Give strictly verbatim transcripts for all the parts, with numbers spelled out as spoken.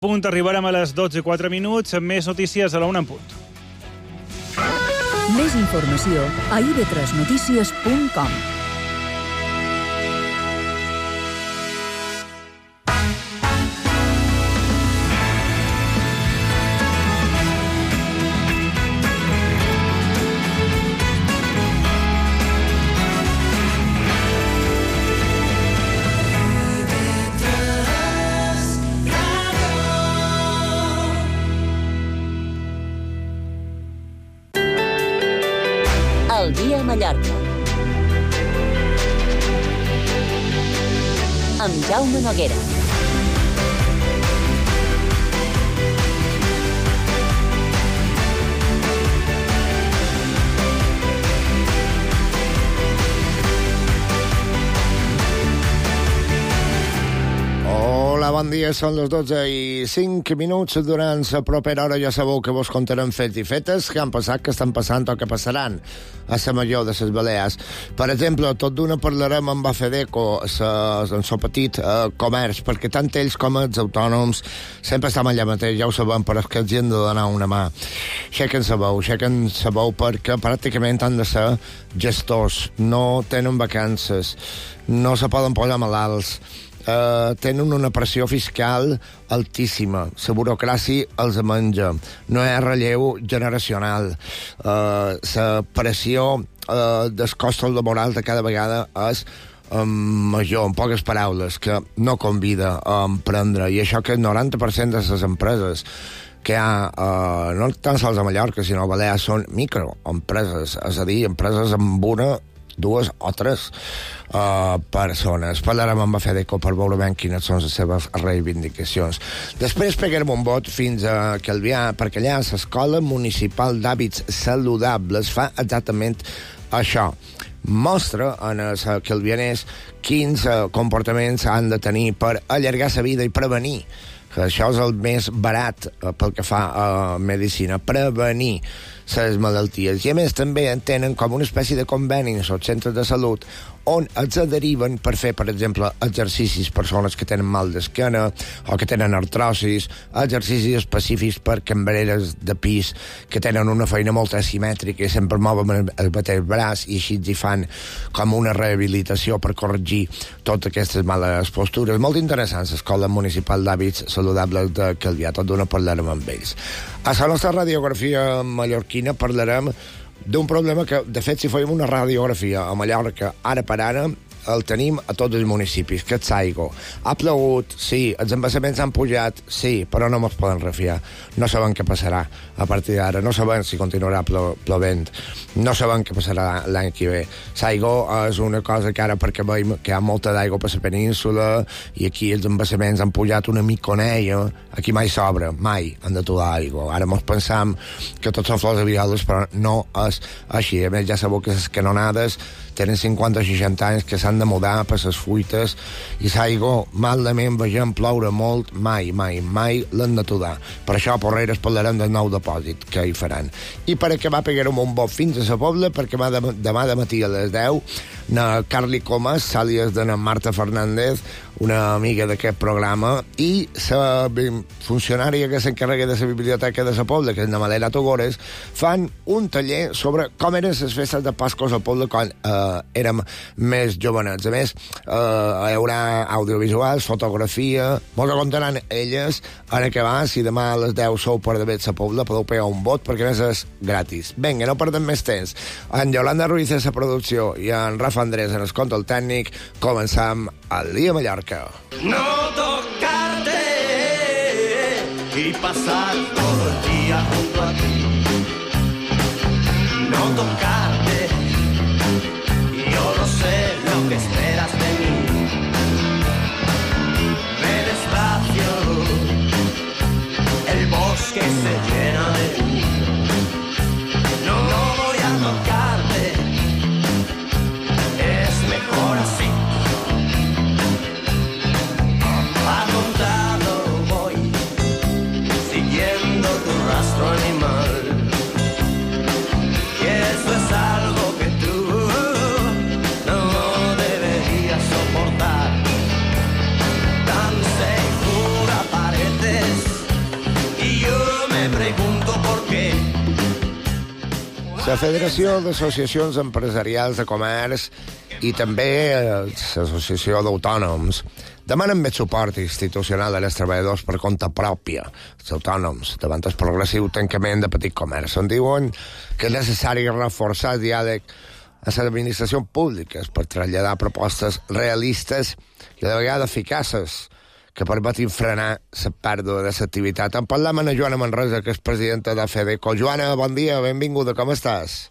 Punt, arribarem a les dotze i quatre minuts amb més notícies a la una en punt. Més informació a i ve tres notícies punt com. El dia a Mallorca. Amb Jaume Noguera. Hola, bon dia, són les dotze i cinc minuts. Durant la propera hora ja sabeu que vos contarem fets i fetes que han passat, que estan passant o que passaran a la major de les Balears. Per exemple, tot d'una parlarem amb Afedeco, en el petit eh, comerç, perquè tant ells com els autònoms sempre estan allà mateix, ja ho sabem, però és que els hi hem de donar una mà. Aixequen sa veu, aixequen sa veu perquè pràcticament han de ser gestors, no tenen vacances, no se poden posar malalts, Uh, tenen una pressió fiscal altíssima, la burocràcia els menja, no hi ha relleu generacional, uh, la pressió uh, dels costos laborals de cada vegada és um, major, en poques paraules, que no convida a emprendre, i això que el noranta per cent de les empreses que hi ha, uh, no tan sols a Mallorca, sinó a Balears, són microempreses, és a dir, empreses amb una, dues o tres uh, persones. Parlarem amb Afedeco per veure ben quines són les seves reivindicacions. Després pegarem un vot fins a Calvià, perquè allà l'Escola Municipal d'Hàbits Saludables fa exactament això. Mostra en els calvianers quins uh, comportaments han de tenir per allargar la vida i prevenir, que això és el més barat uh, pel que fa a medicina, prevenir les malalties. I a més també en tenen com una espècie de conveni als centres de salut on els deriven per fer, per exemple, exercicis, persones que tenen mal d'esquena o que tenen artrosis, exercicis específics per cambreres de pis que tenen una feina molt asimètrica i sempre mouen el mateix braç i així hi fan com una rehabilitació per corregir totes aquestes males postures. Molt interessants, l'Escola Municipal d'Hàbits Saludables de Calvià, tot d'una parlarem amb ells. A la nostra radiografia mallorquina parlarem d'un problema que, de fet, si fèiem una radiografia a Mallorca, ara per ara, el tenim a tots els municipis, que és l'aigua. Ha plogut, sí, els embassaments han pujat, sí, però no ens poden refiar. No sabem què passarà a partir d'ara, no sabem si continuarà plo plovent, no sabem què passarà l'any que ve. L'aigua és una cosa que ara, perquè veiem que hi ha molta d'aigua per la península i aquí els embassaments han pujat una miconella, aquí mai sobra, mai han de trobar aigua. Ara ens pensam que tots són flors de violes, però no és així. A més, ja sabeu que les canonades tenen cinquanta o seixanta anys, que s'han de mudar per les fuites, i l'aigua, malament vegem ploure molt, mai, mai, mai l'han d'aturar. Per això a Porreres parlarem del nou depòsit que hi faran. I per acabar pegarem un bot fins a la Pobla, perquè demà de matí a les deu na Carly Comas, àlies de na Marta Fernández, una amiga d'aquest programa, i la funcionària que s'encarrega de la biblioteca de la Pobla, que és na Malena Togores, fan un taller sobre com eren les festes de Pascos al Pobla quan eh, érem més jovenets. A més, eh, hi haurà audiovisuals, fotografia, molt que contaran elles en acabar. Si demà a les deu sou per d'haver la Pobla, podeu pegar un vot, perquè a més és gratis. Vinga, no perdem més temps. En Yolanda Ruiz és la producció i en Rafa Andrés en el control tècnic. Començam el dia a Mallorca. No tocarte y pasar todo el día junto a ti. No tocarte, yo no sé lo que esperas de mí. Ve despacio, el bosque se llena de luz. No, no voy a tocarte, es mejor así. A contado voy, siguiendo tu rastro animal. Y eso es pregunto por qué. La Federació d'Associacions Empresarials de Comerç i també l'Associació d'Autònoms demanen més suport institucional als treballadors per compte pròpia, els autònoms, davant el progressiu tancament de petit comerç. En diuen que és necessari reforçar el diàleg a les administracions públiques per traslladar propostes realistes i de vegades eficaces que permetin frenar la pèrdua de l'activitat. En parlam amb la Joana Manresa, que és presidenta de FEDECO. Joana, bon dia, benvinguda, com estàs?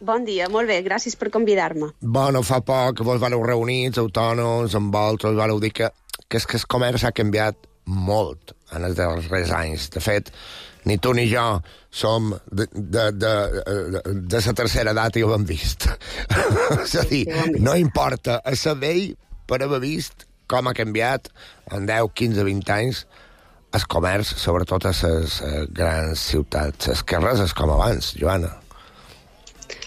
Bon dia, molt bé, gràcies per convidar-me. Bueno, fa poc que vos vareu reunir, els autònoms, amb vosaltres, vareu dir que, que, és que el comerç ha canviat molt en els darrers anys. De fet, ni tu ni jo som de, de, de, de, de la tercera edat i ho hem vist. És a dir, no importa a saber per haver vist com ha canviat en deu, quinze, vint anys el comerç, sobretot a les grans ciutats. Els carrers és com abans, Joana.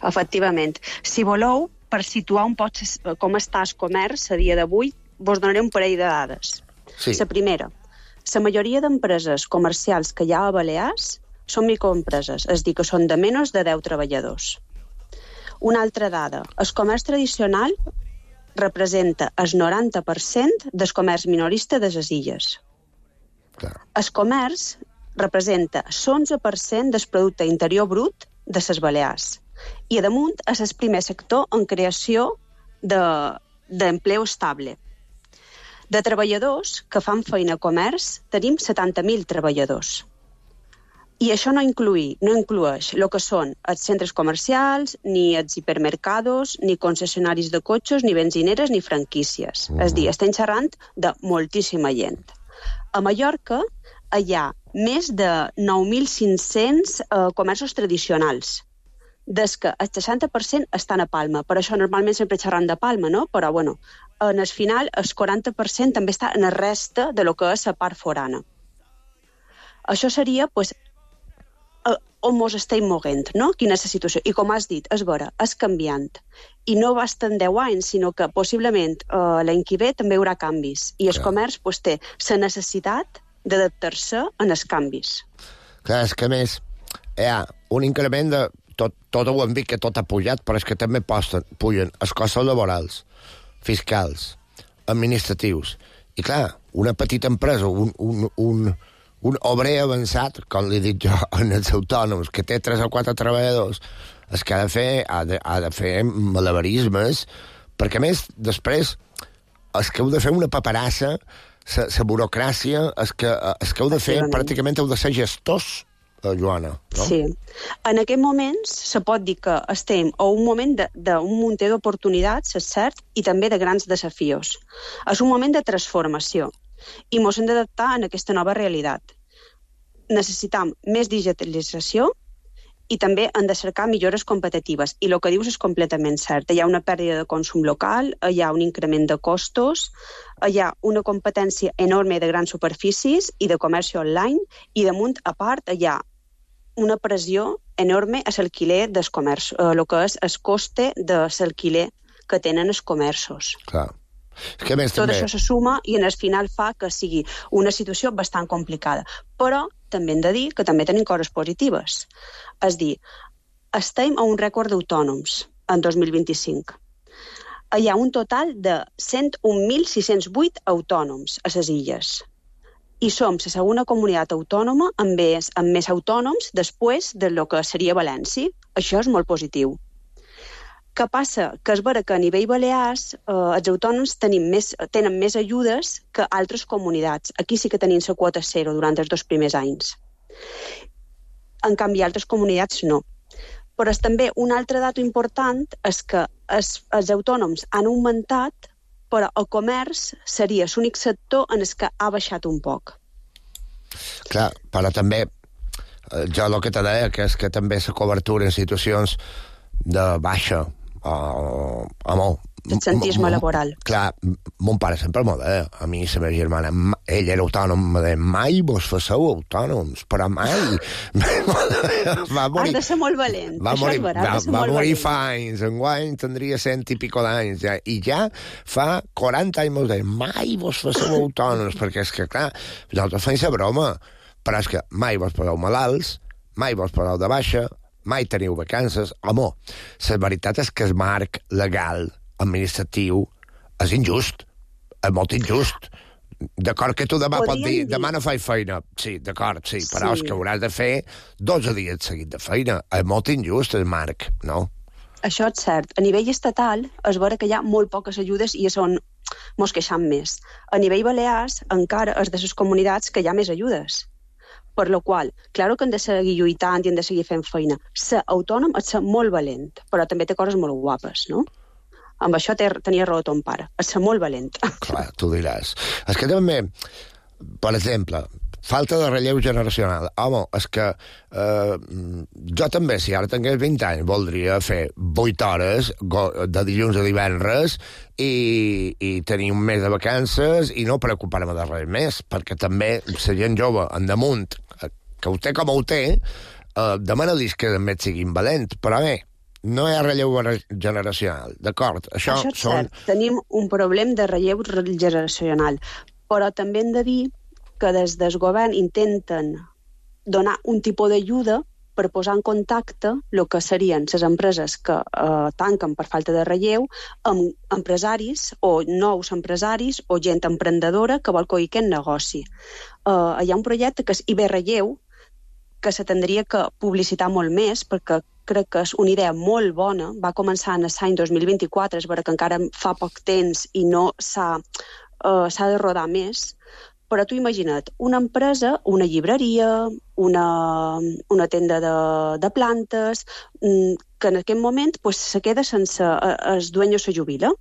Efectivament. Si voleu, per situar un poc com està el comerç a dia d'avui, vos donaré un parell de dades. Sí. La primera, la majoria d'empreses comercials que hi ha a Balears són microempreses, és a dir, que són de menys de deu treballadors. Una altra dada, el comerç tradicional representa el noranta per cent del comerç minorista de les illes. Clar. El comerç representa l'onze per cent del producte interior brut de les Balears i, a damunt, és el primer sector en creació d'empleo estable. De treballadors que fan feina a comerç, tenim setanta mil treballadors. I això no, inclui, no inclueix el que són els centres comercials, ni els hipermercados, ni concessionaris de cotxes, ni benzineres, ni franquícies. Mm. És a dir, estem xerrant de moltíssima gent. A Mallorca hi ha més de nou mil cinc-cents eh, comerços tradicionals, des que el seixanta per cent estan a Palma. Per això normalment sempre xerram de Palma, no? Però, bueno, en el final, el quaranta per cent també està en la resta de lo que és la part forana. Això seria, doncs, on mos estem movent, no? Quina és la situació. I com has dit, és vera, és canviant. I no va estar en deu anys, sinó que possiblement eh, l'any que ve també hi haurà canvis. I el comerç pues, té la necessitat d'adaptar-se en els canvis. Clar, és que a més hi ha un increment de... Tot, tot ho hem dit que tot ha pujat, però és que també posten, pugen els costos laborals, fiscals, administratius. I clar, una petita empresa, un, un, un, un obrer avançat, com li dic jo, en els autònoms, que té tres o quatre treballadors, és que ha de fer, ha de, ha de fer malabarismes, perquè a més, després, és que heu de fer una paperassa, la burocràcia, és que, és que heu de fer, pràcticament heu de ser gestors, Joana, no? Sí. En aquest moments se pot dir que estem a un moment d'un munter d'oportunitats, és cert, i també de grans desafios. És un moment de transformació i ens hem d'adaptar a aquesta nova realitat. Necessitam més digitalització i també hem de cercar millores competitives. I el que dius és completament cert. Hi ha una pèrdua de consum local, hi ha un increment de costos, hi ha una competència enorme de grans superfícies i de comerç online, i damunt, a part, hi ha una pressió enorme a l'alquiler dels comerços, el que és el coste de l'alquiler que tenen els comerços. Clar. És que més, Tot també... això se suma i en el final fa que sigui una situació bastant complicada. Però també hem de dir que també tenim coses positives. És dir, estem a un rècord d'autònoms en dos mil vint-i-cinc. Hi ha un total de cent un mil sis-cents vuit autònoms a les illes. I som la segona comunitat autònoma amb més, amb més autònoms després de lo que seria València. Això és molt positiu. Què passa? Que és vera que a nivell Balears eh, els autònoms tenim més, tenen més ajudes que altres comunitats. Aquí sí que tenim la quota zero durant els dos primers anys. En canvi, altres comunitats no. Però és també un altre dato important és que els, els autònoms han augmentat, però el comerç seria l'únic sector en el que ha baixat un poc. Clar, però també, jo el que te deia, que és que també la cobertura en situacions de baixa, o, home... Absentisme laboral. Clar, mon pare sempre m'ho deia, a mi i la meva germana, ell era autònom, me deia, mai vos faceu autònoms, però mai. va morir, has de ser molt valent, va això morir, és vera, va, has de ser va molt morir valent. fa anys, enguany tindria cent i pico d'anys, ja, i ja fa quaranta anys m'ho deia, mai vos faceu autònoms, perquè és que, clar, nosaltres fem la broma, però és que mai vos poseu malalts, mai vos poseu de baixa, mai teniu vacances. Home, la veritat és que el marc legal, administratiu, és injust, és molt injust. D'acord que tu demà Podríem pots dir, dir... demà no faig feina. Sí, d'acord, sí, però Sí. és que hauràs de fer dotze dies seguit de feina. És molt injust el marc, no? Això és cert. A nivell estatal es veure que hi ha molt poques ajudes i és on mos queixam més. A nivell Balears encara és de les comunitats que hi ha més ajudes. Per la qual, claro que hem de seguir lluitant i hem de seguir fent feina. Ser autònom és ser molt valent, però també té coses molt guapes, no? Amb això té, tenia raó ton pare. És ser molt valent. Clar, tu diràs. És que també, per exemple, falta de relleu generacional. Home, és que eh, jo també, si ara tingués vint anys, voldria fer vuit hores de dilluns a divendres i, i tenir un mes de vacances i no preocupar-me de res més, perquè també la gent jove, en damunt, que ho té com ho té, eh, demana-li que també siguin valents, però bé, no hi ha relleu generacional, d'acord? Això, Això és són... cert. Tenim un problema de relleu generacional, però també hem de dir que des del govern intenten donar un tipus d'ajuda per posar en contacte el que serien les empreses que eh, tanquen per falta de relleu amb empresaris o nous empresaris o gent emprendedora que vol coir aquest negoci. Eh, hi ha un projecte que és I B Relleu, que se tindria que publicitar molt més, perquè crec que és una idea molt bona. Va començar en l'any dos mil vint-i-quatre, és vera que encara fa poc temps i no s'ha uh, s'ha de rodar més. Però tu imagina't, una empresa, una llibreria, una, una tenda de, de plantes, que en aquest moment pues, se queda sense... El dueño se jubila.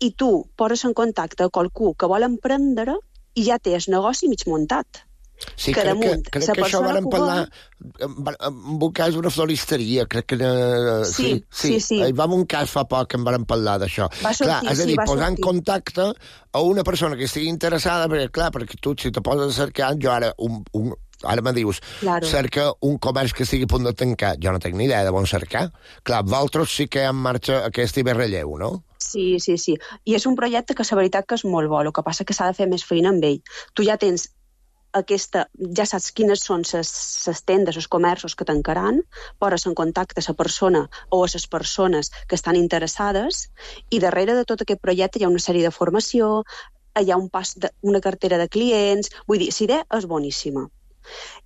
I tu poses en contacte a qualcú que vol emprendre i ja té el negoci mig muntat. Sí, que crec damunt, que, crec que això varen parlar en un cas d'una floristeria, crec que... Uh, sí, sí, sí, sí. Hi va un cas fa poc que en varen parlar d'això. Va sortir, clar, és a dir, sí, va posar sortir. en contacte a una persona que estigui interessada, perquè, clar, perquè tu, si te poses a cercar, jo ara, un, un, ara me dius, claro. cerca un comerç que estigui a punt de tancar, jo no tinc ni idea de on cercar. Clar, vosaltres sí que hi ha en marxa aquest I B Relleu, no? Sí, sí, sí. I és un projecte que la veritat que és molt bo, el que passa que s'ha de fer més feina amb ell. Tu ja tens aquesta, ja saps quines són les tendes, els comerços que tancaran, poses en contacte a la persona o a les persones que estan interessades i darrere de tot aquest projecte hi ha una sèrie de formació, hi ha un pas de, una cartera de clients, vull dir, la idea és boníssima.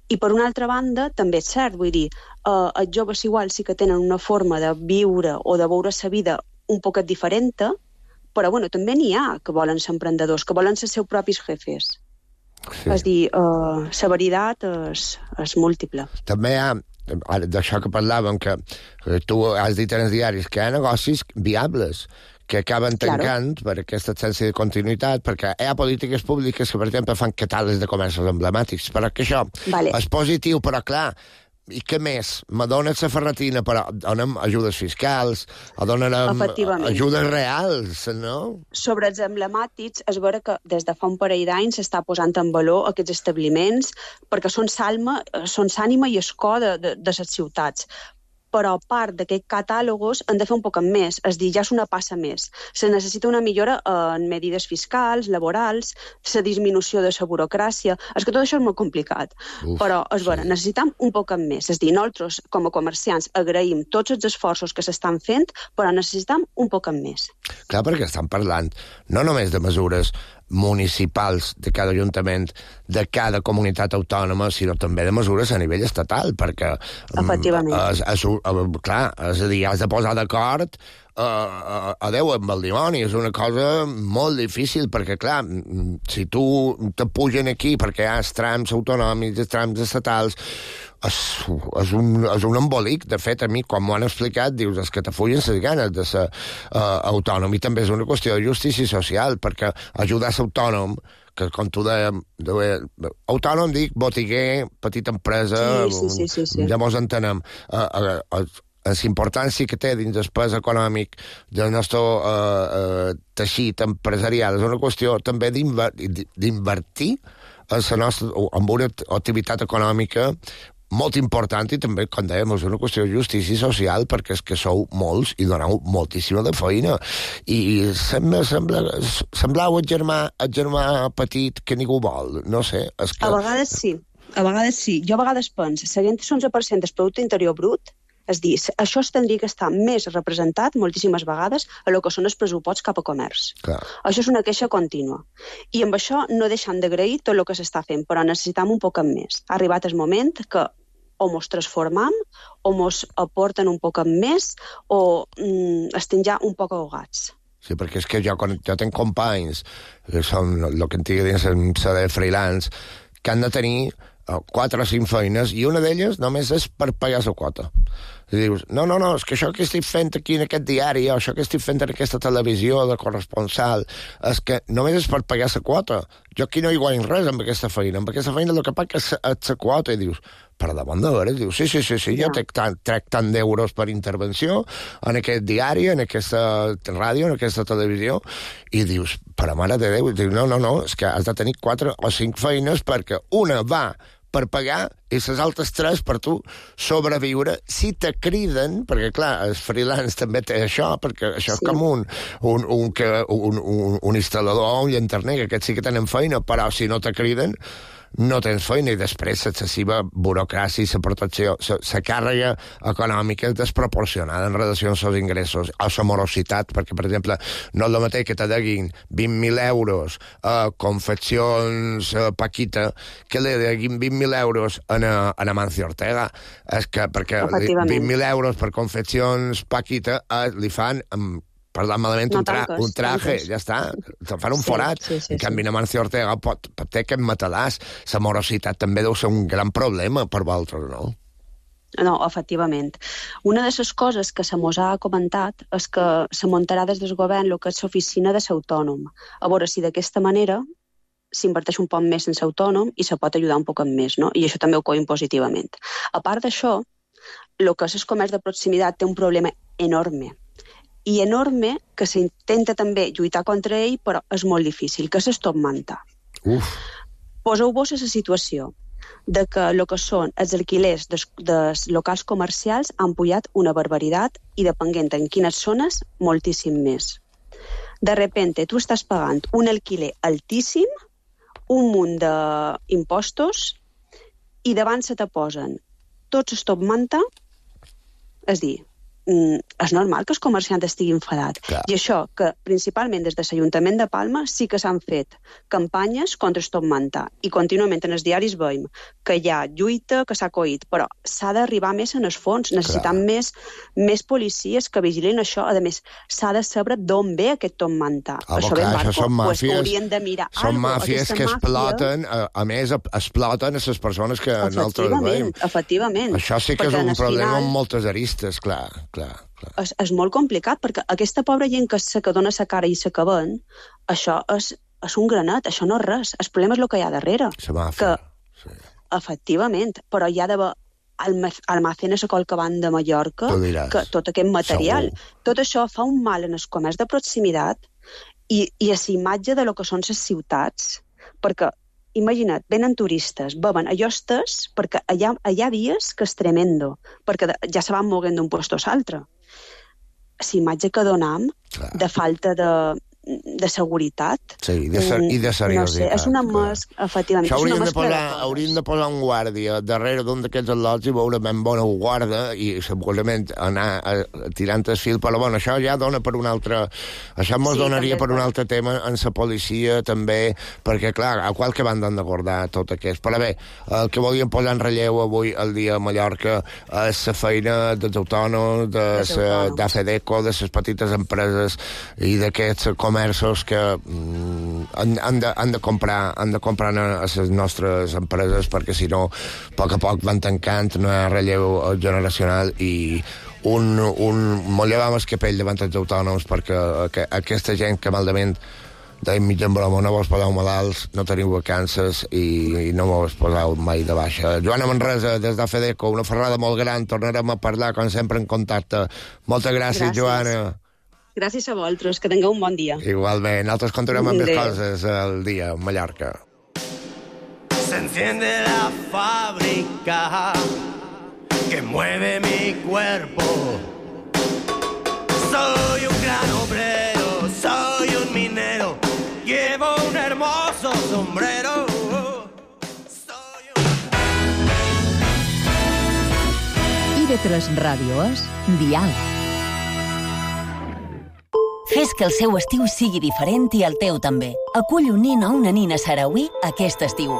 I per una altra banda, també és cert, vull dir, eh, els joves igual sí que tenen una forma de viure o de veure la vida un poquet diferent, però bueno, també n'hi ha que volen ser emprendedors, que volen ser els seus propis jefes. Sí. És dir, uh, la veritat és, és múltiple. També hi ha, d'això que parlàvem, que tu has dit en els diaris, que hi ha negocis viables que acaben tancant claro. per aquesta absència de continuïtat, perquè hi ha polítiques públiques que, per exemple, fan catàlegs de comerços emblemàtics, però que això vale. és positiu, però clar, i què més? Me dones la ferretina, però donem ajudes fiscals, o donen ajudes reals, no? Sobre els emblemàtics, és vera que des de fa un parell d'anys s'està posant en valor aquests establiments, perquè són l'ànima són l'ànima i el cor de, de, de les ciutats. Però a part d'aquests catàlogos han de fer un poc més, és dir, ja és una passa més. Se necessita una millora en medides fiscals, laborals, la disminució de la burocràcia. És que tot això és molt complicat. Uf, però, és vera, sí. necessitem un poc més. És dir, nosaltres, com a comerciants, agraïm tots els esforços que s'estan fent, però necessitem un poc més. Clar, perquè estan parlant no només de mesures municipals de cada ajuntament, de cada comunitat autònoma, sinó també de mesures a nivell estatal, perquè... Efectivament. És, és, clar, és a dir, has de posar d'acord a, a, a Déu amb el dimoni, és una cosa molt difícil, perquè, clar, si tu te pugen aquí perquè hi ha els trams autonòmics, els trams estatals, és, és, un, és un embolic. De fet, a mi, quan m'ho han explicat, dius, és que te fullen les ganes de ser uh, autònom, i també és una qüestió de justícia social, perquè ajudar a ser autònom, que com tu dèiem, autònom dic botiguer, petita empresa, sí, sí, sí, sí, sí. ja mos entenem, uh, uh, uh, la importància que té dins del pes econòmic del nostre uh, uh, teixit empresarial és una qüestió també d'invertir en, la nostra, en una activitat econòmica molt important, i també, com dèiem, és una qüestió de justícia social, perquè és que sou molts i doneu moltíssima de feina. I sembla, sembla, sembleu el germà, el germà petit que ningú vol, no sé. És que... A vegades sí. a vegades sí. Jo a vegades penso, seguint l'onze per cent del producte interior brut, és dir, això es tindria que estar més representat moltíssimes vegades a lo que són els pressuposts cap a comerç. Clar. Això és una queixa contínua. I amb això no deixem d'agrair tot el que s'està fent, però necessitam un poc més. Ha arribat el moment que o mos transformam, o mos aporten un poc més, o mm, estem ja un poc ahogats. Sí, perquè és que jo, quan jo tenc companys, que són el que en digui dins la de freelance, que han de tenir quatre o cinc feines, i una d'elles només és per pagar la quota. I dius, no, no, no, és que això que estic fent aquí en aquest diari, o això que estic fent en aquesta televisió de corresponsal, és que només és per pagar la quota. Jo aquí no hi guanyo res amb aquesta feina. Amb aquesta feina el que paga és la quota. I dius, per damunt de veres, dius, sí, sí, sí, sí, jo trec tant, trec tant d'euros per intervenció en aquest diari, en aquesta ràdio, en aquesta televisió, i dius, per a mare de Déu, dius, no, no, no, és que has de tenir quatre o cinc feines perquè una va per pagar i les altres tres per tu sobreviure. Si te criden, perquè clar, el freelance també té això, perquè això sí. És com un, un, un, un, un, un instal·lador o un llanterner, que aquests sí que tenen feina, però si no te criden, no tens feina, i després l'excessiva burocràcia, la protecció, la càrrega econòmica és desproporcionada en relació als seus ingressos, a la morositat, perquè, per exemple, no és el mateix que te deguin vint mil euros a confeccions a Paquita que li deguin vint mil euros a, a Amancio Ortega. És que, perquè vint mil euros per confeccions Paquita eh, li fan amb parlant malament, no un, tra tanques, un traje, tanques. Ja està, te fan un sí, forat. Sí, sí, en canvi, sí. Amancio Ortega pot, pot ter aquest matalàs. La morositat també deu ser un gran problema per vosaltres, no? No, efectivament. Una de les coses que se mos ha comentat és que se muntarà des del govern el que és l'oficina de l'autònom. A veure si d'aquesta manera s'inverteix un poc més en l'autònom i se pot ajudar un poc més, no? I això també ho coim positivament. A part d'això, el que és el comerç de proximitat té un problema enorme. I enorme, que s'intenta també lluitar contra ell, però és molt difícil, que és el top manta. Uf. Poseu-vos a la situació de que el que són els alquilers dels, dels locals comercials han pujat una barbaritat i, depenent en quines zones, moltíssim més. De repente, tu estàs pagant un alquiler altíssim, un munt d'impostos, i davant se te posen tots els top manta, és dir, és normal que el comerciant estigui enfadat. Clar. I això, que principalment des de l'Ajuntament de Palma sí que s'han fet campanyes contra el top manta, i contínuament en els diaris veiem que hi ha lluita, que s'ha coït, però s'ha d'arribar més en els fons, necessitem més, més policies que vigilin això. A més, s'ha de saber d'on ve aquest top manta. Ah, això clar, això són màfies, pues, haurien de mirar són algo, màfies que màfia... exploten, a, a més, exploten a les persones que nosaltres veiem. Efectivament. Això sí que perquè és un problema final... amb moltes aristes, clar, clar. Clar. És, és molt complicat, perquè aquesta pobra gent que, se, que dona sa cara i se que ven, això és, és un granet, això no és res. El problema és el que hi ha darrere. La màfia, que, sí. Efectivament, però hi ha d'haver almacenes a qualque banda de Mallorca, que tot aquest material, segur. Tot això fa un mal en el comerç de proximitat i, i a la imatge de lo que són les ciutats, perquè imagina't, venen turistes, beuen a llostes, perquè allà, allà dies que és tremendo, perquè ja se van moguent d'un lloc a l'altre. La imatge que donam de falta de, de seguretat... Sí, de ser, i de seriositat. No sé, és una mas... Efectivament, això hauríem de, posar, de hauríem de posar un guàrdia darrere d'un d'aquests al·lots i veure ben bona guarda i segurament anar a, a, tirant el fil, però bueno, això ja dona per un altre... Això ens sí, donaria per un altre tema en la policia també, perquè clar, a qualque banda han d'acordar tot aquest. Però bé, el que volíem posar en relleu avui al dia a Mallorca és la feina dels autònoms, de d'Afedeco, de les petites empreses i d'aquests comerços que mm, han, han, de, han, de comprar, han de comprar a les nostres empreses, perquè si no, a poc a poc van tancant, no hi ha relleu generacional i un, un molt llevam el capell davant dels autònoms, perquè que, aquesta gent que malament deim mig en broma, no vos poseu malalts, no teniu vacances i, i no vos poseu mai de baixa. Joana Manresa, des d'Afedeco, una ferrada molt gran, tornarem a parlar, com sempre, en contacte. Moltes gràcies, gràcies. Joana. Gràcies a vosaltres, que tingueu un bon dia. Igualment, nosaltres continuem amb més coses al dia a Mallorca. Se enciende la fábrica que mueve mi cuerpo. Soy un gran obrero, soy un minero, llevo un hermoso sombrero. Soy un... I V tres Ràdio és Dial. Fes que el seu estiu sigui diferent i el teu també. Acull un nin o una nina sarauí aquest estiu.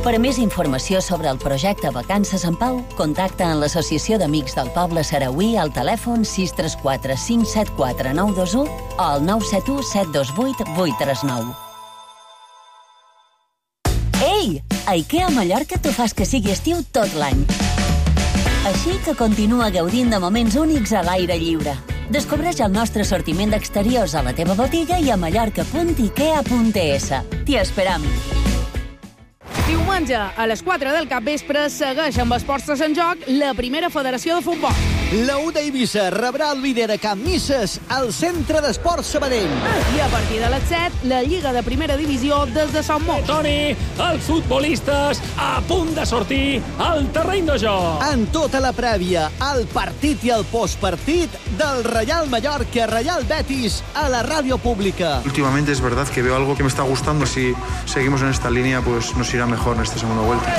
Per a més informació sobre el projecte Vacances en Pau, contacta amb l'Associació d'Amics del Poble Sarauí al telèfon sis tres quatre cinc set quatre nou dos u o al nou set u set dos vuit vuit tres nou. Ei! A IKEA Mallorca t'ho fas que sigui estiu tot l'any. Així que continua gaudint de moments únics a l'aire lliure. Descobreix el nostre assortiment d'exteriors a la teva botiga i a mallorca punt ikea punt es. T'hi esperam. Diumenge, a les quatre del capvespre, segueix amb Esports en Joc la primera federació de futbol. La U d'Eivissa rebrà el líder a Camp Misses al Centre d'Esports Sabadell. I a partir de les set, la Lliga de Primera Divisió des de Sant Mot. Toni, els futbolistes a punt de sortir al terreny de joc. En tota la prèvia, el partit i el postpartit del Real Mallorca Real Betis a la ràdio pública. Últimamente es verdad que veo algo que me está gustando. Si seguimos en esta línea, pues nos irá mejor en esta segunda vuelta.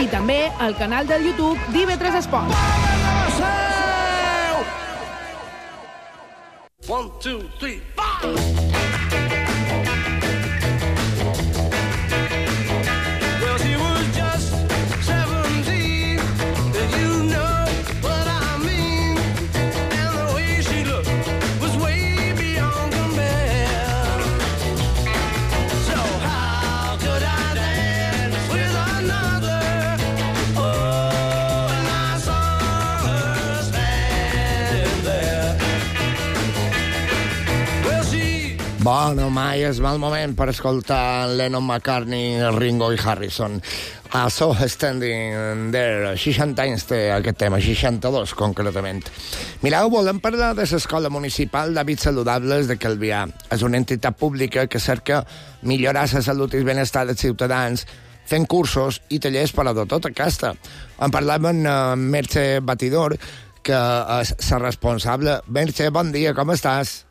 I també al canal del YouTube d'I V tres Esports. One, two, three, five! Well, she was just seventeen, and you know what I mean. And the way she looked was way beyond compare. So how could I dance with another? Oh, and I saw her stand there. Bueno, mai és mal moment per escoltar Lennon, McCartney, Ringo i Harrison. I saw her standing there. seixanta anys té aquest tema, seixanta-dos concretament. Mireu, volem parlar de l'Escola Municipal d'Hàbits Saludables de Calvià. És una entitat pública que cerca millorar la salut i el benestar dels ciutadans fent cursos i tallers per a de tota casta. En parlàvem amb Merche Batidor, que és la responsable. Merche, bon dia, com estàs?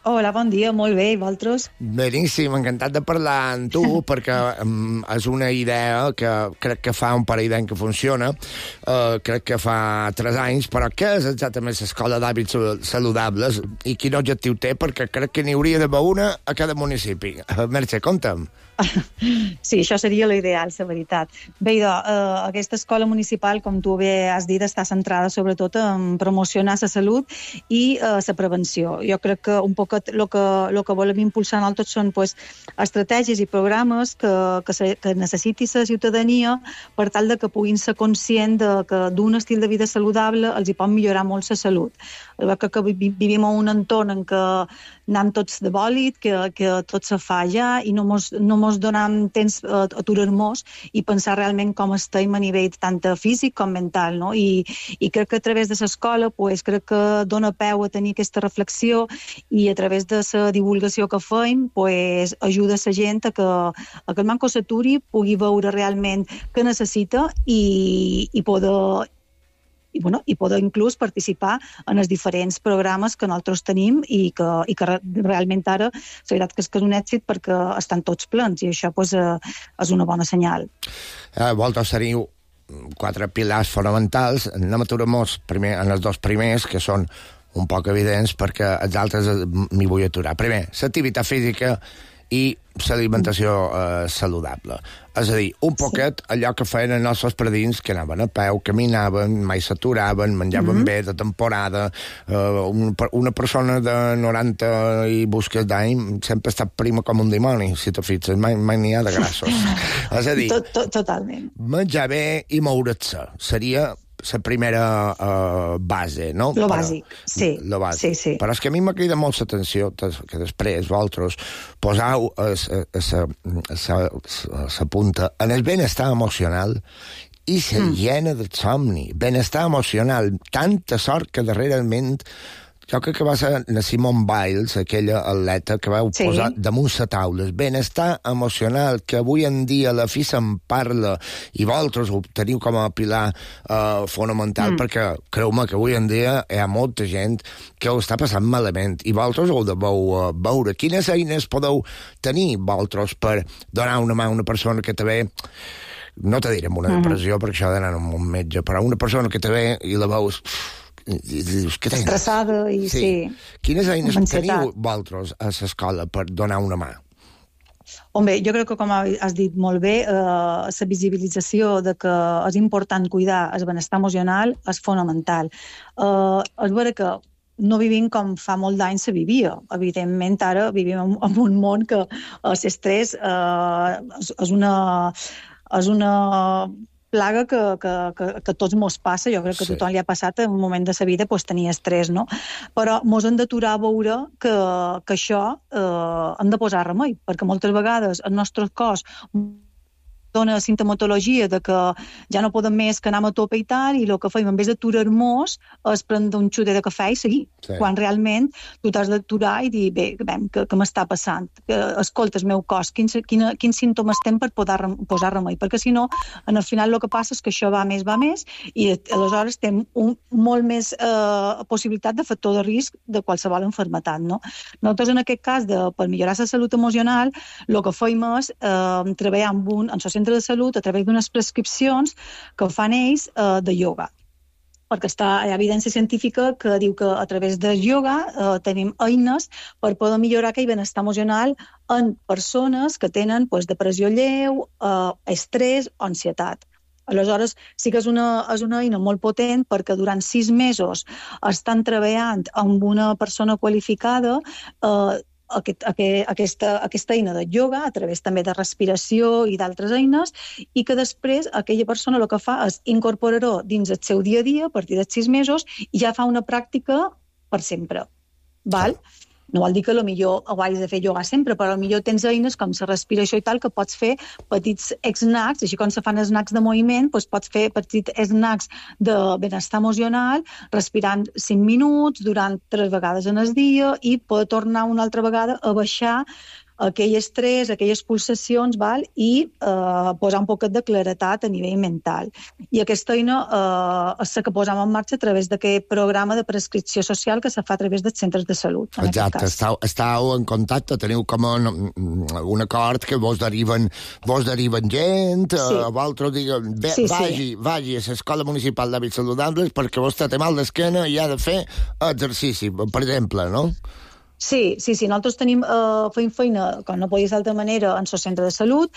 Hola, bon dia, molt bé, i vosaltres? Beníssim, encantat de parlar amb tu, perquè um, és una idea que crec que fa un parell d'anys que funciona, uh, crec que fa tres anys, però què és exactament l'Escola d'Hàbits Saludables i quin objectiu té? Perquè crec que n'hi hauria d'haver una a cada municipi. Merche, conta'm. Sí, això seria l'ideal, la veritat. Bé, idò, eh, aquesta escola municipal, com tu bé has dit, està centrada sobretot en promocionar la salut i eh, la prevenció. Jo crec que un poc el que, lo que volem impulsar nosaltres són pues, estratègies i programes que, que, se, que necessiti la ciutadania per tal de que puguin ser conscients de que d'un estil de vida saludable els hi pot millorar molt la salut. Que, que vivim en un entorn en què anem tots de bòlit, que, que tot se fa ja i no mos, no mos donem temps a aturar-nos i pensar realment com estem a nivell tant físic com mental, no? I, i crec que a través de l'escola pues, crec que dona peu a tenir aquesta reflexió i a través de la divulgació que fem pues, ajuda la gent a que, a que el manco s'aturi, pugui veure realment què necessita i, i poder i, bueno, i poder inclús participar en els diferents programes que nosaltres tenim i que, i que realment ara la veritat que és, que és un èxit perquè estan tots plens i això pues, eh, és una bona senyal. Eh, vosaltres teniu quatre pilars fonamentals. Anem a aturar-nos primer en els dos primers, que són un poc evidents, perquè els altres m'hi vull aturar. Primer, l'activitat física i l'alimentació eh, saludable. És a dir, un poquet allò que feien els nostres predins, que anaven a peu, caminaven, mai s'aturaven, menjaven mm-hmm. bé de temporada. Eh, un, una persona de noranta i busques d'any sempre està prima com un dimoni, si te fixes, mai, mai n'hi ha de grassos. És a dir, tot, tot, totalment. Menjar bé i moure't-se seria la primera uh, base, no? Lo bàsic, sí. Lo bàsic. Sí, sí. Però és que a mi m'ha cridat molt l'atenció que després vosaltres posau la punta en el benestar emocional i la mm. llena de somni. Benestar emocional, tanta sort que darrerament jo crec que va ser la Simone Biles, aquella atleta que vau sí. posar damunt la taula. Benestar emocional, que avui en dia la fi se'n parla i vosaltres ho teniu com a pilar uh, fonamental, mm. perquè creu-me que avui en dia hi ha molta gent que ho està passant malament i vosaltres ho deveu uh, veure. Quines eines podeu tenir vosaltres per donar una mà a una persona que també no te diré amb una depressió, uh-huh. perquè això ha d'anar amb un metge, però una persona que te ve i la veus... I dius, què tens? Estressada i sí. sí. Quines eines teniu vosaltres a l'escola per donar una mà? Home, jo crec que, com has dit molt bé, eh, la visibilització de que és important cuidar el benestar emocional és fonamental. Eh, és vera que no vivim com fa molt d'anys se vivia. Evidentment, ara vivim en, en un món que l'estrès eh, és, és una... És una plaga que, que, que, que tots mos passa, jo crec que sí. tothom li ha passat en un moment de sa vida pues, tenir estrès, no? Però mos hem d'aturar a veure que, que això eh, hem de posar remei, perquè moltes vegades el nostre cos dona sintomatologia de que ja no podem més, que anem a tope i tal, i el que fem, en vez d'aturar-nos, és prendre un xutet de cafè i seguir. Sí. Quan realment tu t'has d'aturar i dir, bé, bé què, què m'està passant? Que, escolta, el meu cos, quins, quina, quins símptomes tem per poder rem, posar remei? Perquè si no, en el final el que passa és que això va més, va més, i aleshores tem un, molt més eh, possibilitat de factor de risc de qualsevol enfermetat, no? Nosaltres, en aquest cas, de, per millorar la salut emocional, el que fem és eh, treballar amb un, en centre de salut a través d'unes prescripcions que fan ells eh, de ioga. Perquè està, hi ha evidència científica que diu que a través del ioga eh, tenim eines per poder millorar aquell benestar emocional en persones que tenen pues, depressió lleu, eh, estrès o ansietat. Aleshores, sí que és una, és una eina molt potent perquè durant sis mesos estan treballant amb una persona qualificada eh, Aquest, aquesta, aquesta eina de ioga, a través també de respiració i d'altres eines, i que després aquella persona el que fa és incorporar-ho dins el seu dia a dia a partir dels sis mesos i ja fa una pràctica per sempre. Val? No vol dir que potser ho hagis de fer ioga sempre, però potser tens eines com la respiració i tal que pots fer petits snacks, així com se fan snacks de moviment, doncs pots fer petits snacks de benestar emocional, respirant cinc minuts durant tres vegades en el dia i poder tornar una altra vegada a baixar aquell estrès, aquelles pulsacions, val? I eh, posar un poquet de claretat a nivell mental. I aquesta eina eh, és la que posam en marxa a través d'aquest programa de prescripció social que se fa a través dels centres de salut. Exacte, estàu, estàu en contacte, teniu com un, un acord que vos deriven, vos deriven gent, sí. eh, vosaltres diguen, bé, sí, vagi, sí. vagi a l'escola municipal d'hàbits saludables perquè vos té mal d'esquena i ha de fer exercici, per exemple, no? Sí, sí, sí. Nosaltres tenim, eh, fem feina, com no podia ser d'altra manera, en el centre de salut.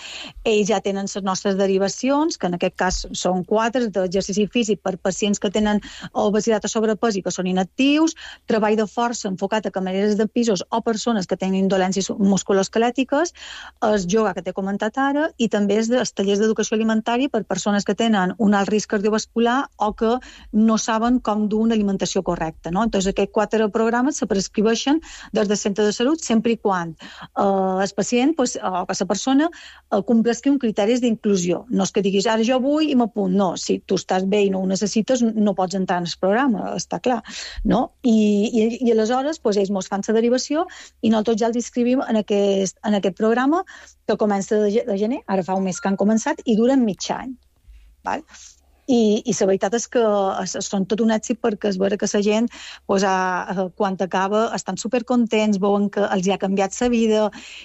Ells ja tenen les nostres derivacions, que en aquest cas són quatre, d'exercici físic per pacients que tenen obesitat o sobrepès i que són inactius, treball de força enfocat a camareres de pisos o persones que tenen dolències musculoesquelètiques, el yoga que t'he comentat ara, i també els tallers d'educació alimentària per persones que tenen un alt risc cardiovascular o que no saben com dur una alimentació correcta, no? Entonces, aquests quatre programes se prescribeixen des del centre de salut, sempre i quan eh, el pacient pues, o que la persona eh, complesqui un criteris d'inclusió. No és que diguis, ara jo vull i m'apunt. No, si tu estàs bé i no ho necessites, no pots entrar en el programa, està clar. No? I, i, i aleshores pues, ells mos fan la derivació i nosaltres ja els inscrivim en aquest, en aquest programa que comença de, de gener, ara fa un mes que han començat, i duren mig any. Val? I, i la veritat és que són tot un èxit perquè es veure que la gent pues, a, quan acaba estan supercontents, veuen que els ha canviat la vida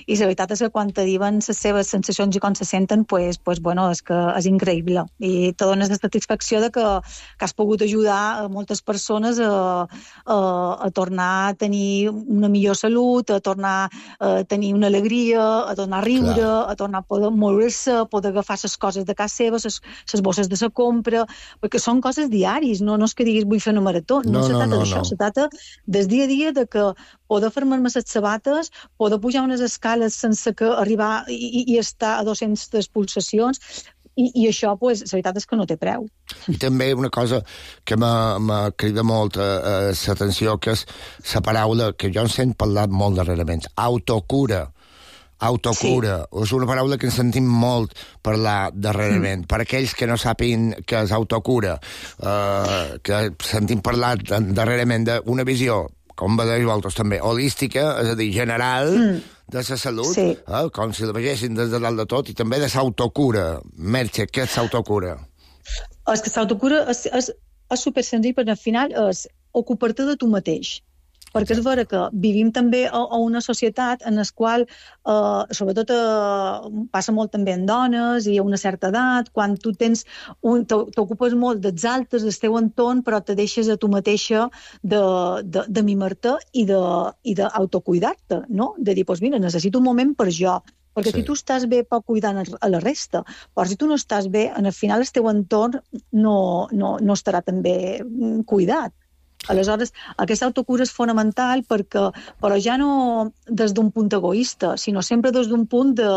i la veritat és que quan te diuen les seves sensacions i com se senten pues, pues, bueno, és que és increïble i te dones la satisfacció de que, que has pogut ajudar a moltes persones a, a, a tornar a tenir una millor salut, a tornar a tenir una alegria, a tornar a riure, clar. A tornar a poder moure-se, a poder agafar les coses de casa seva, les bosses de la compra, perquè són coses diaris, no, no és que diguis vull fer una marató, no, no se trata no, no, d'això, no. Se trata des dia a dia de que poder fer-me les sabates, poder pujar unes escales sense que arribar i, i estar a dos-centes pulsacions, i, i això, pues, la veritat és que no té preu. I també una cosa que me crida molt eh, l'atenció, que és la paraula que jo en sent parlar molt darrerament, autocura. Autocura, sí. És una paraula que ens sentim molt parlar darrerament. Mm. Per aquells que no sàpin què és autocura, eh, que sentim parlar darrerament d'una visió, com vedeis vosaltres també, holística, és a dir, general, mm. de la salut, sí. eh, com si la vegessin des de dalt de tot, i també de l'autocura. Merche, què és l'autocura? És que l'autocura és, és, és supersenzill, perquè al final és ocupar-te de tu mateix. perquè és vera que vivim també a, a una societat en la qual, eh, sobretot eh, passa molt també en dones i a una certa edat, quan tu tens un, t'ocupes molt dels altres, del teu entorn, però te deixes a tu mateixa de, de, de mimar-te i de, i d'autocuidar-te, no? De dir, doncs mira, necessito un moment per jo, perquè sí. Si tu estàs bé pot cuidar a la resta, però si tu no estàs bé, al final el teu entorn no, no, no estarà tan bé cuidat. Aleshores, aquesta autocura és fonamental perquè, però ja no des d'un punt egoista, sinó sempre des d'un punt de,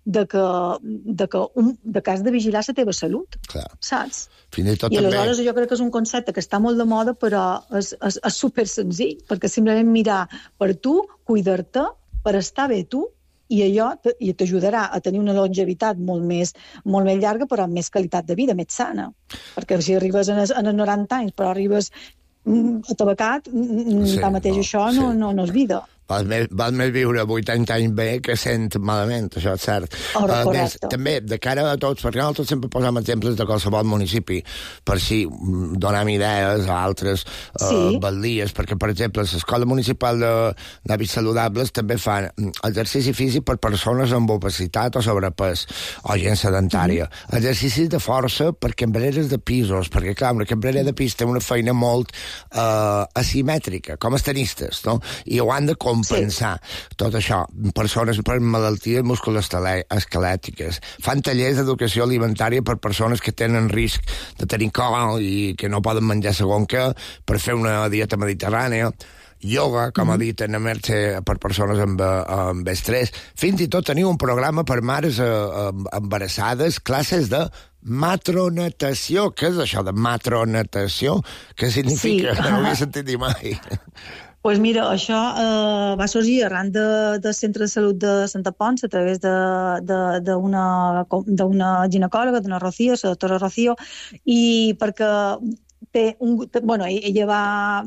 de, que, de, que, un, de que has de vigilar la teva salut, clar. Saps? Fins i tot I també... aleshores jo crec que és un concepte que està molt de moda, però és, és, és super senzill, perquè simplement mirar per tu, cuidar-te, per estar bé tu, i allò t'ajudarà a tenir una longevitat molt més, molt més llarga, però amb més qualitat de vida, més sana. Perquè si arribes a els noranta anys, però arribes atabacat, sí, tanmateix no, això no, sí. no, no és vida. Val més, val més viure vuitanta anys bé que cent malament, això és cert. Oh, uh, més, també, de cara a tots, perquè nosaltres sempre posem exemples de qualsevol municipi, per si donem idees a altres uh, sí. baldies, perquè, per exemple, l'Escola Municipal d'Hàbits Saludables també fan exercici físic per persones amb obesitat o sobrepès, o gent sedentària. Mm-hmm. Exercicis de força per cambreres de pisos, perquè, clar, una cambrera de pis té una feina molt uh, asimètrica, com els tenistes, no? I ho han de compensar, sí. Tot això. Persones per malalties musculoesquelètiques. Fan tallers d'educació alimentària per persones que tenen risc de tenir col i que no poden menjar segon què, per fer una dieta mediterrània. Yoga, com mm-hmm. ha dit en Merche, per persones amb, amb estrès. Fins i tot teniu un programa per mares eh, embarassades, classes de matronatació. Què és això de matronatació? Què significa? Sí. No ho he sentit dir mai. Pues mira, això eh, va sorgir arran de, del Centre de Salut de Santa Ponç a través d'una ginecòloga, d'una Rocío, la doctora Rocío, i perquè té un, bueno, ella va,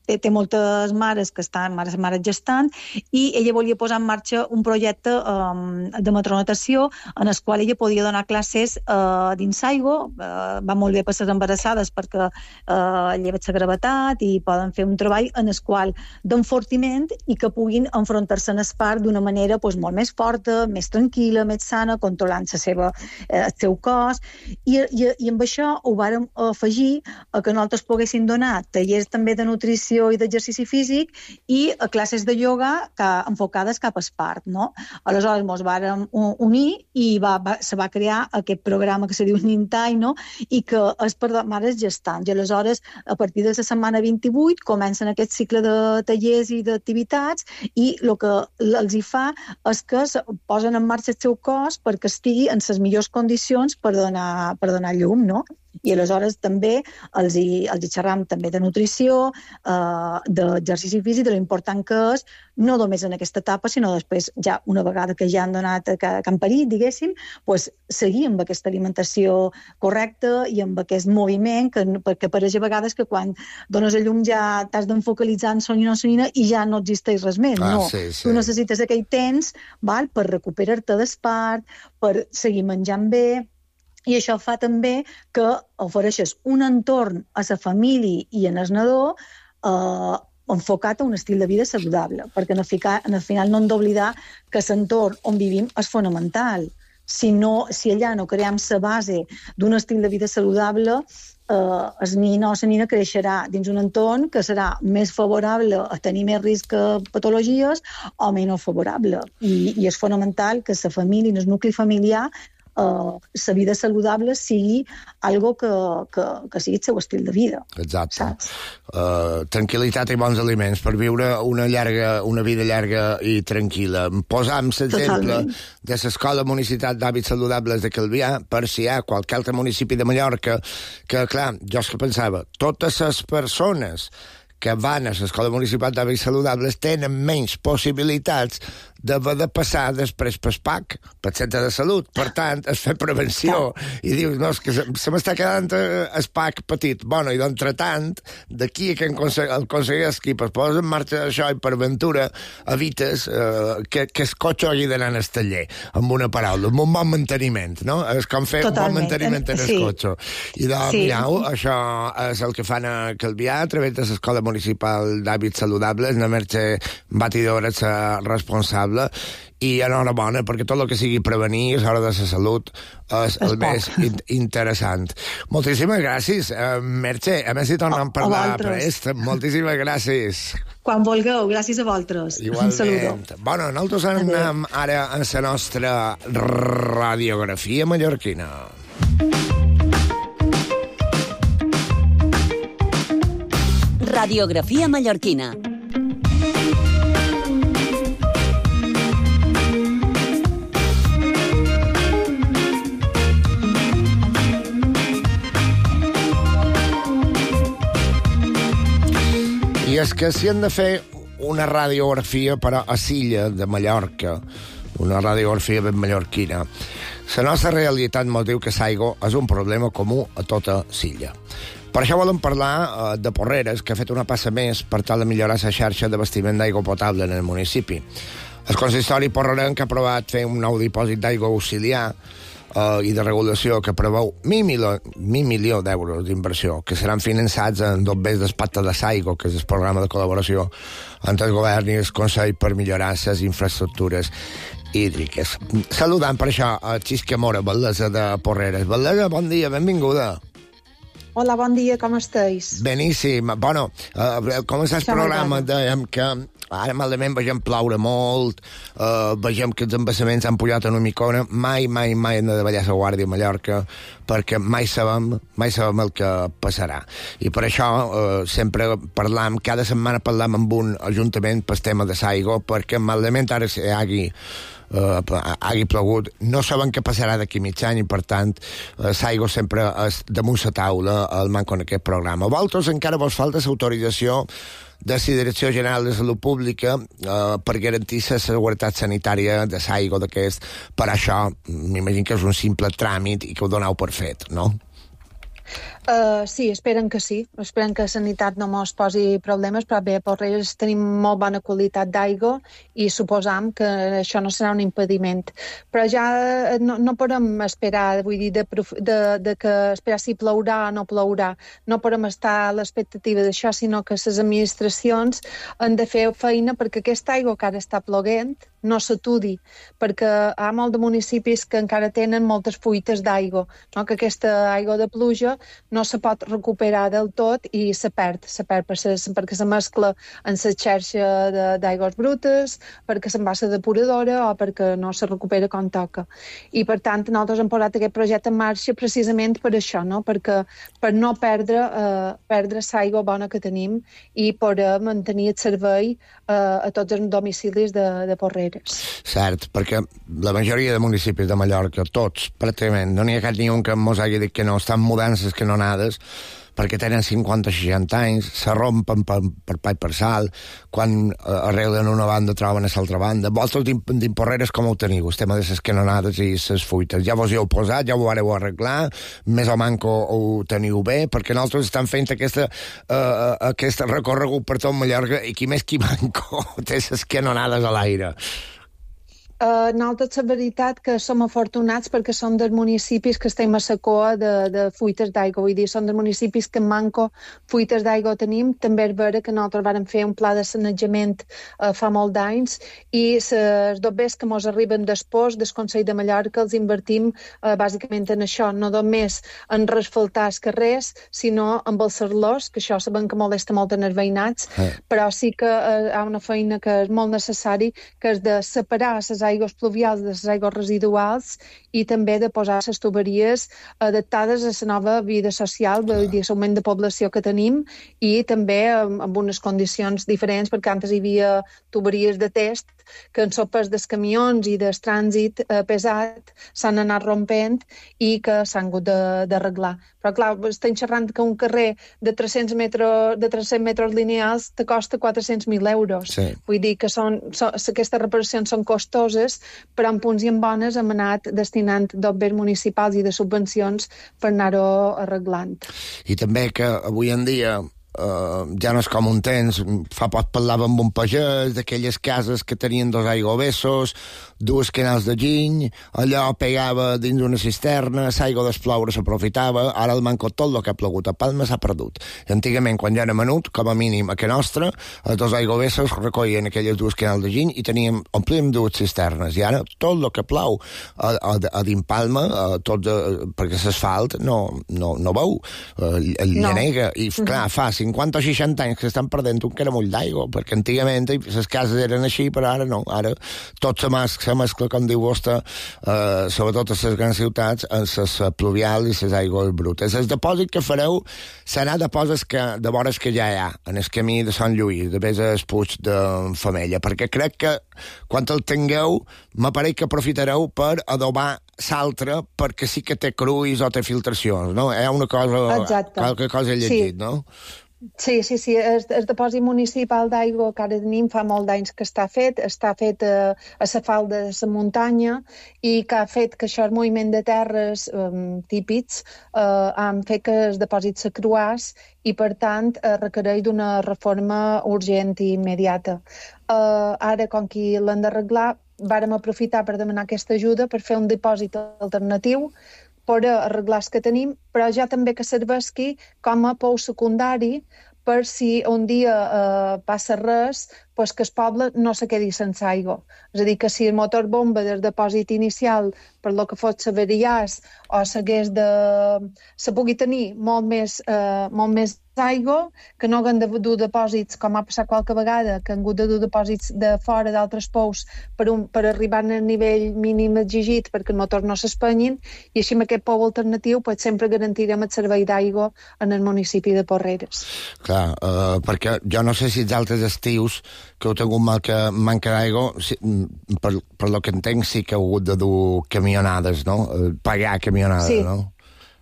té, té moltes mares que estan, mares, mares gestant, i ella volia posar en marxa un projecte um, de matronatació en el qual ella podia donar classes uh, dins aigua, uh, va molt bé per les embarassades perquè uh, lleven la gravetat i poden fer un treball en el qual d'enfortiment i que puguin enfrontar-se en el part d'una manera pues, molt més forta, més tranquil·la, més sana, controlant la seva, eh, el seu cos, i, i, i amb això ho vàrem afegir a que nosaltres poguessin donar tallers també de nutrició i d'exercici físic i a classes de ioga que, enfocades cap a espart, no? Aleshores ens vàrem unir i va, va, se va crear aquest programa que se diu Nintai, no? I que és per mares gestants. I aleshores, a partir de la setmana vint-i-vuit, comencen aquest cicle de tallers i d'activitats i el que els hi fa és que posen en marxa el seu cos perquè estigui en les millors condicions per donar, per donar llum, no? I aleshores també els hi, els hi xerram també de nutrició, eh, d'exercici físic, de l'important que és, no només en aquesta etapa, sinó després, ja una vegada que ja han donat, que, que han parit, diguéssim, pues, seguir amb aquesta alimentació correcta i amb aquest moviment, que, perquè pareix a vegades que quan dones a llum ja t'has d'enfocalitzar en sonina o sonina i ja no existeix res més. Ah, no, sí, sí. Tu necessites aquell temps, val, per recuperar-te d'espart, per seguir menjant bé. I això fa també que ofereixes un entorn a la família i en el nadó eh, enfocat a un estil de vida saludable, perquè en el, ficar, en el final no hem d'oblidar que l'entorn on vivim és fonamental. Si, no, si allà no creem la base d'un estil de vida saludable, eh, el nin o la nina creixerà dins un entorn que serà més favorable a tenir més risc a patologies o menys favorable. I, i és fonamental que la família, el nucli familiar, Uh, la vida saludable sigui algo que, que, que sigui el seu estil de vida. Exacte. Uh, tranquil·litat i bons aliments per viure una llarga, una vida llarga i tranquil·la. Posam l'exemple de l'Escola Municipal d'Hàbits Saludables de Calvià, per si hi ha qualque altre municipi de Mallorca que, clar, jo és que pensava, totes les persones que van a l'Escola Municipal d'Hàbits Saludables tenen menys possibilitats d'haver de passar després pel P A C, pel centre de salut. Per tant, es fa prevenció. I dius, no, és que se, se m'està quedant el P A C petit. Bueno, i d'entretant, d'aquí que el aconsegueix que es posa en marxa això i per ventura evites eh, que, que el cotxe hagi d'anar al taller, amb una paraula, amb un bon manteniment, no? És com fer Totalment. un bon manteniment en el sí. cotxe. I doncs, sí. mireu, això és el que fan a Calvià a través de l'Escola Municipal d'Hàbits Saludables. La Mercè Batidora és responsable i enhorabona, perquè tot el que sigui prevenir a l'hora de la salut és el més in interessant. Moltíssimes gràcies, uh, Mercè. A més, si tornem a parlar prest. Moltíssimes gràcies. Quan vulgueu, gràcies a vosaltres. Igualment. Un saludo. Bueno, nosaltres anem ara a la nostra radiografia mallorquina. Radiografia mallorquina. I és que si han de fer una radiografia per a l'illa de Mallorca, una radiografia ben mallorquina, la nostra realitat ens diu que l'aigua és un problema comú a tota l'illa. Per això volem parlar eh, de Porreres, que ha fet una passa més per tal de millorar la xarxa d'abastiment d'aigua potable en el municipi. El consistori porrerenc ha aprovat fer un nou dipòsit d'aigua auxiliar eh, i de regulació que preveu mil milió, mil milió d'euros d'inversió, que seran finançats en dos vés del Pacte de l'Aigua, que és el programa de col·laboració entre el govern i el Consell per millorar les infraestructures hídriques. Saludant per això a Xisca Mora, batllessa de Porreres. Batllessa, bon dia, benvinguda. Hola, bon dia, com estàs? Beníssim. Bueno, uh, començar el programa, dèiem que ara malament vegem ploure molt, uh, vegem que els embassaments han pujat una micona, mai, mai, mai hem de ballar la guàrdia a Mallorca, perquè mai sabem, mai sabem el que passarà. I per això uh, sempre parlam, cada setmana parlam amb un ajuntament pel tema de l'aigua, perquè malament ara si hi hagi Uh, hagi plogut, no saben què passarà d'aquí mig any i per tant uh, l'aigua sempre és damunt la taula el manco en aquest programa. Vosaltres encara vos falta l'autorització de la Direcció General de Salut Pública uh, per garantir la seguretat sanitària de l'aigua d'aquest. Per això m'imagino que és un simple tràmit i que ho doneu per fet, no? Uh, sí, esperen que sí. Esperen que la sanitat no mos posi problemes, però bé, a Porreres tenim molt bona qualitat d'aigua i suposam que això no serà un impediment. Però ja no, no podem esperar, vull dir, de, de, de que esperar si plourà o no plourà. No podem estar a l'expectativa d'això, sinó que les administracions han de fer feina perquè aquesta aigua que ara està ploguent no s'aturi, perquè hi ha molts de municipis que encara tenen moltes fuites d'aigua, no? Que aquesta aigua de pluja no se pot recuperar del tot i se perd, se perd per ses, perquè se mescla en la xarxa d'aigües brutes, perquè se'n va a la depuradora o perquè no se recupera com toca. I per tant, nosaltres hem posat aquest projecte en marxa precisament per això, no? Perquè per no perdre eh, perdre l'aigua bona que tenim i poder mantenir el servei eh, a tots els domicilis de, de Porreres. Cert, perquè la majoria de municipis de Mallorca, tots, pràcticament, no n'hi ha cap ni un que mos hagi dit que no, estan mudances que no anades, perquè tenen cinquanta o seixanta anys, se rompen per, per pa i per sal, quan eh, arreglen una banda troben a l'altra banda. Vosaltres d'Imporreres com ho teniu? El tema de les canonades i les fuites. Ja vos hi heu posat, ja ho vareu arreglar, més o manco ho teniu bé, perquè nosaltres estem fent aquesta, uh, aquest recorregut per tot Mallorca i qui més qui manco té les canonades a l'aire. Uh, nosaltres, la veritat, que som afortunats perquè som dels municipis que estem a la coa de, de fuites d'aigua. Vull dir, som dels municipis que manco fuites d'aigua tenim. També és vera que nosaltres vam fer un pla de sanejament uh, fa molt d'anys i els dobbers que ens arriben després del Consell de Mallorca els invertim uh, bàsicament en això, no només en resfaltar els carrers, sinó en els serlors, que això sabem que molesta molt en els veïnats, eh. però sí que uh, hi ha una feina que és molt necessari, que és de separar les aigües pluvials, de les aigües residuals, i també de posar les tuberies adaptades a la nova vida social, vull dir, l'augment de població que tenim, i també amb unes condicions diferents, perquè antes hi havia tuberies de test que en sopes dels camions i del trànsit eh, pesat s'han anat rompent i que s'han hagut d'arreglar. Però, clar, estem xerrant que un carrer de tres-cents metres, de tres-cents metres lineals te costa quatre-cents mil euros. Sí. Vull dir que són, són, aquestes reparacions són costoses, però en punts i en bones hem anat destinant d'obres municipals i de subvencions per anar-ho arreglant. I també que avui en dia Uh, ja no és com un temps. Fa poc parlava amb un pagès d'aquelles cases que tenien dos aigüevessos, dues canals de giny, allò pegava dins una cisterna, l'aigua des ploure s'aprofitava. Ara el manco tot el que ha plogut a Palma s'ha perdut. Antigament, quan ja era menut, com a mínim a que nostra, els dos aigüevessos recollien aquelles dues canals de giny i teníem, omplíem dues cisternes. I ara tot el que plou a, a, a dins Palma, a tot, a, perquè l'asfalt no, no, no veu, uh, el no. llenega. I clar, fa cinquanta o seixanta anys que estan perdent un caramull d'aigua, perquè antigament les cases eren així, però ara no. Ara tot se mescla, se mescla com diu vostè, eh, sobretot a les grans ciutats, en les pluvials i les aigües brutes. El depòsit que fareu serà depòsits que, de vores que ja hi ha, en el camí de Sant Lluís, de vés al Puig de Femella, perquè crec que quan el tingueu, m'apareix que aprofitareu per adobar l'altre, perquè sí que té cruis o té filtracions, no? Hi ha una cosa, Exacte. qualque cosa he llegit, sí. no? Sí, sí, sí. El, el depòsit municipal d'aigua que ara tenim fa molt d'anys que està fet, està fet a, a la falda de la muntanya i que ha fet que això, el moviment de terres um, típics, uh, han fet que el depòsit s'acruàs i, per tant, uh, requereix d'una reforma urgent i immediata. Uh, ara, com que l'han d'arreglar, vàrem aprofitar per demanar aquesta ajuda per fer un dipòsit alternatiu per arreglar els que tenim, però ja també que serveixi com a pou secundari per si un dia eh, passa res, pues que el poble no se quedi sense aigua. És a dir, que si el motor bomba del depòsit inicial, per lo que fos s'avariàs o s'hagués de... se pugui tenir molt més, eh, molt més aigua, que no haguem de dur depòsits, com ha passat qualque vegada, que han hagut de dur depòsits de fora d'altres pous per, un, per arribar al nivell mínim exigit perquè el motor no s'espenyin, i així amb aquest pou alternatiu pues, sempre garantirem el servei d'aigua en el municipi de Porreres. Clar, uh, perquè jo no sé si els altres estius que heu tingut mal que manca d'aigua, si, per, per lo que entenc sí que heu hagut de dur camionades, no? Pagar camionades, sí. no?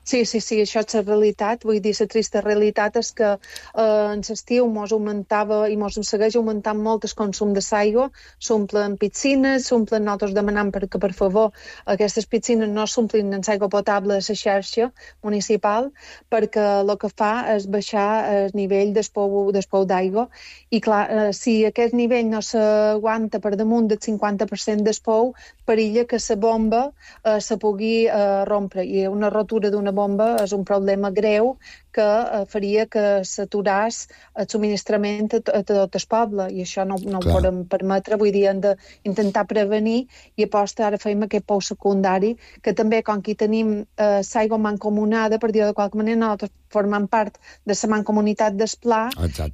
Sí, sí, sí, això és la realitat. Vull dir, la trista realitat és que eh, en l'estiu mos augmentava i mos segueix augmentant molt el consum de l'aigua, s'omplen piscines, s'omplen, nosaltres demanant perquè, per favor, aquestes piscines no s'omplin amb aigua potable de la xarxa municipal, perquè el que fa és baixar el nivell del pou, del pou d'aigua. I clar, eh, si aquest nivell no s'aguanta per damunt del cinquanta per cent del pou, perilla que la bomba eh, se pugui eh, rompre. I una rotura d'una bomba és un problema greu que eh, faria que s'aturàs el subministrament a, a tot el poble, i això no, no ho podem permetre. Vull dir, hem d'intentar prevenir, i aposta ara feim aquest pou secundari, que també, com que tenim eh, l'aigua mancomunada, per dir-ho de qualque manera, nosaltres formant part de la mancomunitat d'Esplà,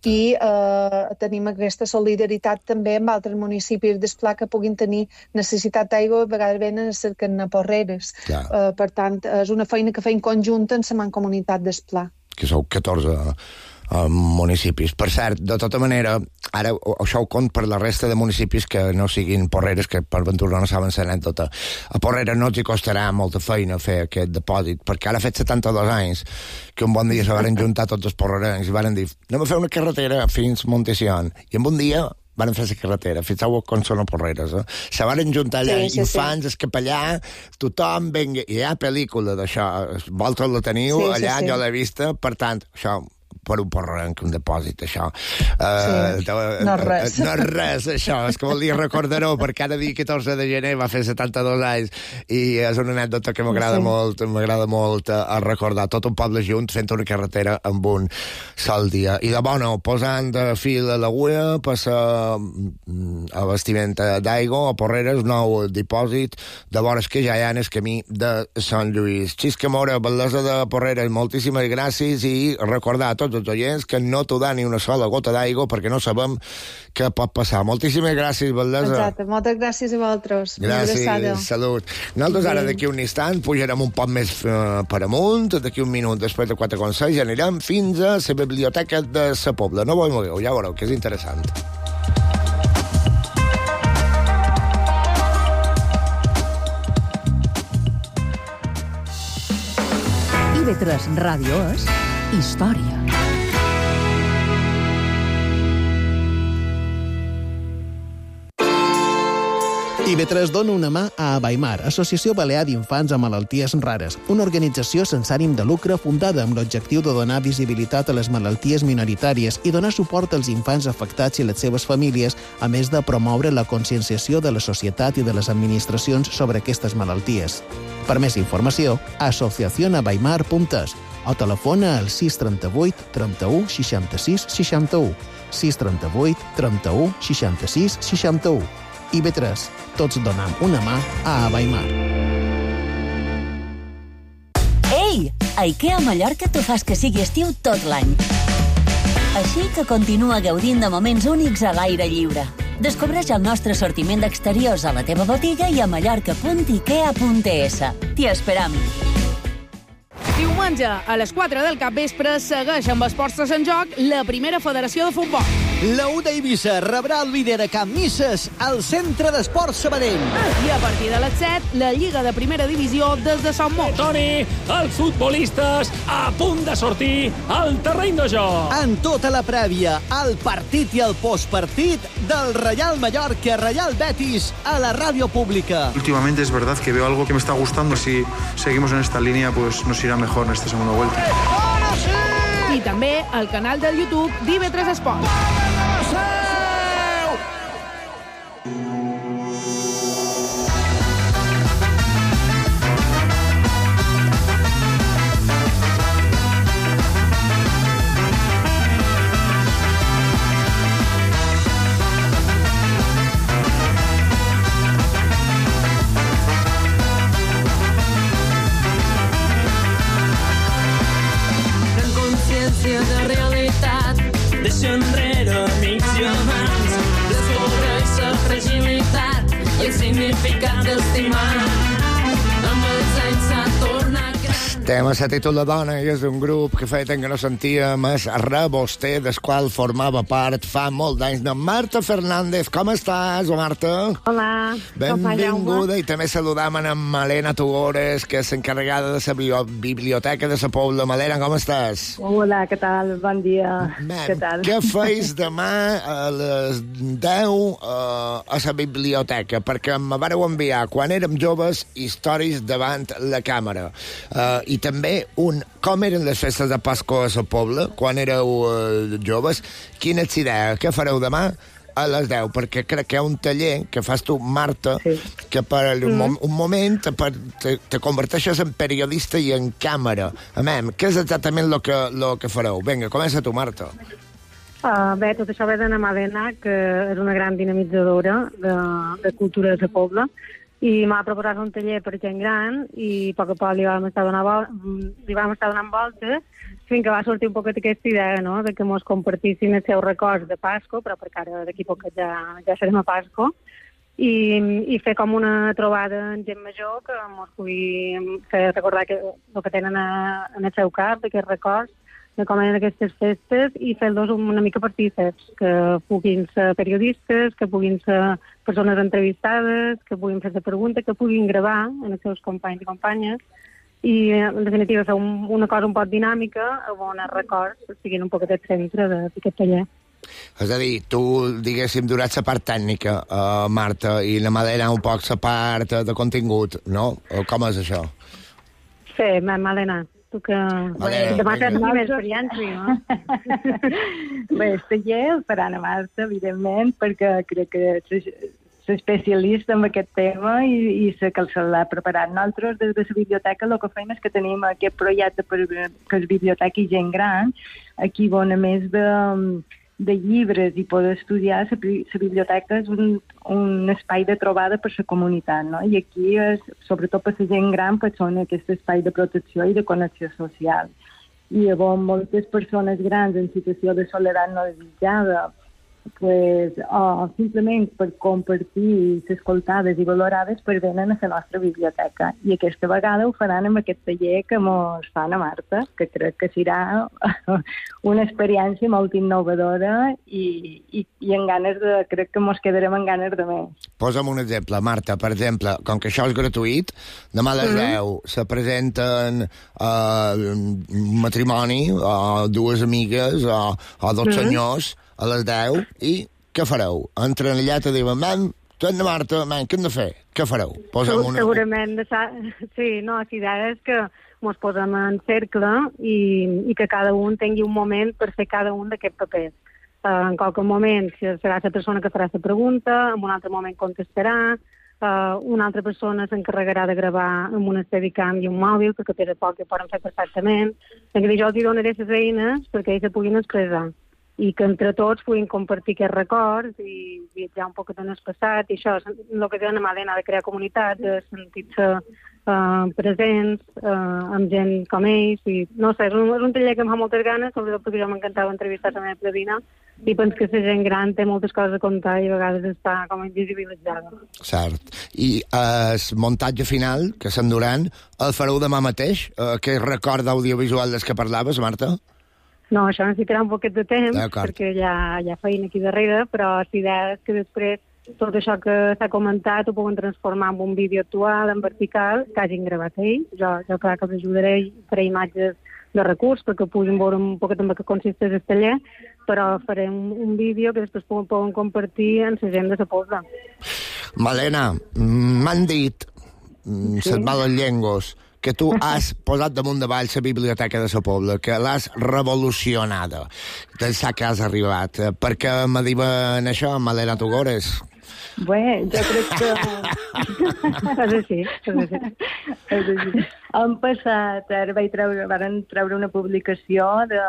i eh, tenim aquesta solidaritat també amb altres municipis d'Esplà que puguin tenir necessitat d'aigua, a vegades venen a cercar a Porreres. Eh, per tant, és una feina que feim conjunta en la mancomunitat d'Esplà. Que sou catorze uh, municipis. Per cert, de tota manera, ara això ho compte per la resta de municipis que no siguin Porreres, que per ventura no saben l'anècdota. A Porreres no els hi costarà molta feina fer aquest depòsit, perquè ara ha fet setanta-dos anys que un bon dia se van juntar tots els porrerencs i van dir, anem a fer una carretera fins Montesión. I en un dia van fer la carretera, fixeu com són a Porreres, eh? Se van juntar allà, sí, sí, infants, sí. El capellà, tothom, venga, i hi ha pel·lícula d'això, vosaltres la teniu, sí, allà sí, sí. Jo l'he vista, per tant, això, per un porrenc, un depòsit, això. Uh, sí. No és res. No és res, això, és que volia recordar-ho, perquè cada dia catorze de gener va fer setanta-dos anys, i és una anècdota que m'agrada sí. molt, m'agrada molt a recordar, tot un poble junt fent una carretera amb un sol dia. I de bona, posant de fil a l'agulla, passa a vestimenta d'aigua, a Porreres, nou dipòsit, de vores que ja hi ha en el camí de Sant Lluís. Xisca Mora, bellesa de Porreres, moltíssimes gràcies, i recordar a tots tots els oients, que no t'ho da ni una sola gota d'aigua, perquè no sabem què pot passar. Moltíssimes gràcies, Valdesa. Exacte, moltes gràcies a vosaltres. Gràcies, salut. Nosaltres ara d'aquí un instant pujarem un poc més uh, per amunt, d'aquí un minut després de quatre consells, i anirem fins a la biblioteca de la Pobla. No vos mogueu, ja veureu, que és interessant. I B tres Ràdio és història. I B tres dona una mà a Abaimar, Associació Balear d'Infants amb Malalties Rares, una organització sense ànim de lucre fundada amb l'objectiu de donar visibilitat a les malalties minoritàries i donar suport als infants afectats i les seves famílies, a més de promoure la conscienciació de la societat i de les administracions sobre aquestes malalties. Per més informació, asociación abaimar punt es o telefona al sis trenta-vuit trenta-u seixanta-sis seixanta-u, sis trenta-vuit trenta-u seixanta-sis seixanta-u. I B tres, tots donem una mà a Abaimar. Ei! A IKEA Mallorca t'ho fas que sigui estiu tot l'any. Així que continua gaudint de moments únics a l'aire lliure. Descobreix el nostre assortiment d'exteriors a la teva botiga i a mallorca punt ikea punt es. T'hi esperam. Diumenge, a les quatre del capvespre, segueix amb Esports en Joc la primera federació de futbol. La U d'Eivissa rebrà el líder a Camp Misses al Centre d'Esports Sabadell. I a partir de les set, la Lliga de Primera Divisió des de Sant Mot. Toni, els futbolistes a punt de sortir al terreny de joc. En tota la prèvia, el partit i el postpartit del Reial Mallorca Reial Betis a la ràdio pública. Últimamente es verdad que veo algo que me está gustando. Si seguimos en esta línea, pues nos irá mejor en esta segunda vuelta. I també al canal del YouTube d'I B tres Esports. De realitat, deixa enrere amics i amants, descobreix la fragilitat i el significat d'estimar. Amb els anys s'ha tornat gran. Estem a la títol de dona i és un grup que feia temps que no sentíem, és Reboster, del qual formava part fa molt d'anys. No, Marta Fernández, com estàs, Marta? Hola. Benvinguda, i també saludam en Malena Tugores, que és encarregada de la biblioteca de la Pobla. Malena, com estàs? Hola, què tal? Bon dia. Man, què tal? Què feis demà a les deu uh, a la biblioteca? Perquè em vareu enviar, quan érem joves, històries davant la càmera. Uh, I també un com eren les festes de Pasqua a la Pobla, quan éreu uh, joves. Quina és idea? Què fareu demà a les deu? Perquè crec que hi ha un taller que fas tu, Marta, sí. que per mm. un, un moment per, te, te converteixes en periodista i en càmera. Amem, què és exactament el que, lo que fareu? Vinga, comença tu, Marta. Uh, bé, tot això ve d'Anna Malena, que és una gran dinamitzadora de, de cultura de la Pobla, i m'ha proposat un taller per gent gran i a poc a poc li vam estar donant, vol li vam estar donant voltes fins que va sortir un poquet aquesta idea, no?, de que mos compartissin els seus records de Pasco, però perquè ara d'aquí poc ja, ja serem a Pasco, i, i fer com una trobada en gent major que mos pugui fer recordar que, el que tenen a, en el seu cap, d'aquests records, de com eren aquestes festes, i fer-los una mica partíceps, que puguin ser periodistes, que puguin ser persones entrevistades, que puguin fer-se preguntes, que puguin gravar en els seus companys i companyes, i en definitiva fer un, una cosa un poc dinàmica on els records siguin un poquet el centre d'aquest taller. És a dir, tu, diguéssim, durats la part tècnica, uh, Marta, i la Malena un poc la part de contingut, no? Com és això? Sí, Malena. Tu que... Vale, demà tens més experiència, no? Bé, el taller el faran a Marta, evidentment, perquè crec que s'especialista en aquest tema i, i sé que se l'ha preparat. Nosaltres, des de la biblioteca, el que fem és que tenim aquest projecte per que és biblioteca i gent gran, aquí on a més de, de llibres i poder estudiar, la biblioteca és un, un espai de trobada per la comunitat, no? I aquí, és, sobretot per la gent gran, pues, són aquest espai de protecció i de connexió social. i llavors moltes persones grans en situació de soledat no desitjada, pues, o simplement per compartir les escoltades i valorades per venen a la nostra biblioteca. I aquesta vegada ho faran amb aquest taller que mos fan a Marta, que crec que serà una experiència molt innovadora i, i, i en ganes de, crec que mos quedarem en ganes de més. Posa'm un exemple, Marta, per exemple, com que això és gratuït, demà a les Mhm. deu se presenten uh, un matrimoni, o dues amigues, o, o dos Mhm. senyors, a les deu, i què fareu? Entren allà i te diuen, man, torna Marta, man, què hem de fer? Què fareu? Posa'm una... Segurament, de sa... sí, no, la idea és que ens posem en cercle i, i que cada un tingui un moment per fer cada un d'aquests papers. Uh, en qualque moment serà la persona que farà la pregunta, en un altre moment contestarà, uh, una altra persona s'encarregarà de gravar amb una Steadicam i un mòbil, perquè per a poc que poden fer perfectament. En què jo els donaré les eines perquè ells se puguin expressar i que entre tots puguin compartir aquests records i viatjar un poc en el passat, i això, el que diuen a Malena, de crear comunitats, de sentir-se uh, presents uh, amb gent com ells, i no sé, és un, és un taller que em fa moltes ganes, sobretot perquè jo m'encantava entrevistar la meva predina, i penso que la gent gran té moltes coses a contar i a vegades està com invisibilitzada. Cert. I el muntatge final, que s'enduran, el fareu demà mateix? Uh, aquest record audiovisual des que parlaves, Marta? No, això necessitarà un poquet de temps, D'acord. perquè hi ha, hi ha feina aquí darrere, però la idea és que després tot això que s'ha comentat ho poden transformar en un vídeo actual, en vertical, que hagin gravat ells. Jo, jo clar que els ajudaré a fer imatges de recurs perquè puguin veure un poquet en què consisteix el taller, però faré un, un vídeo que després poden, poden compartir en la gent de la Pobla. Malena, m'han dit, Sí. se't malen llengos, que tu has posat damunt de vall la biblioteca de la Pobla, que l'has revolucionada. D'ençà que has arribat. Per què me diuen això, Malena Tugores? Bé, jo crec que... és així, és així. és així. Han passat, ara vaig treure, varen treure una publicació de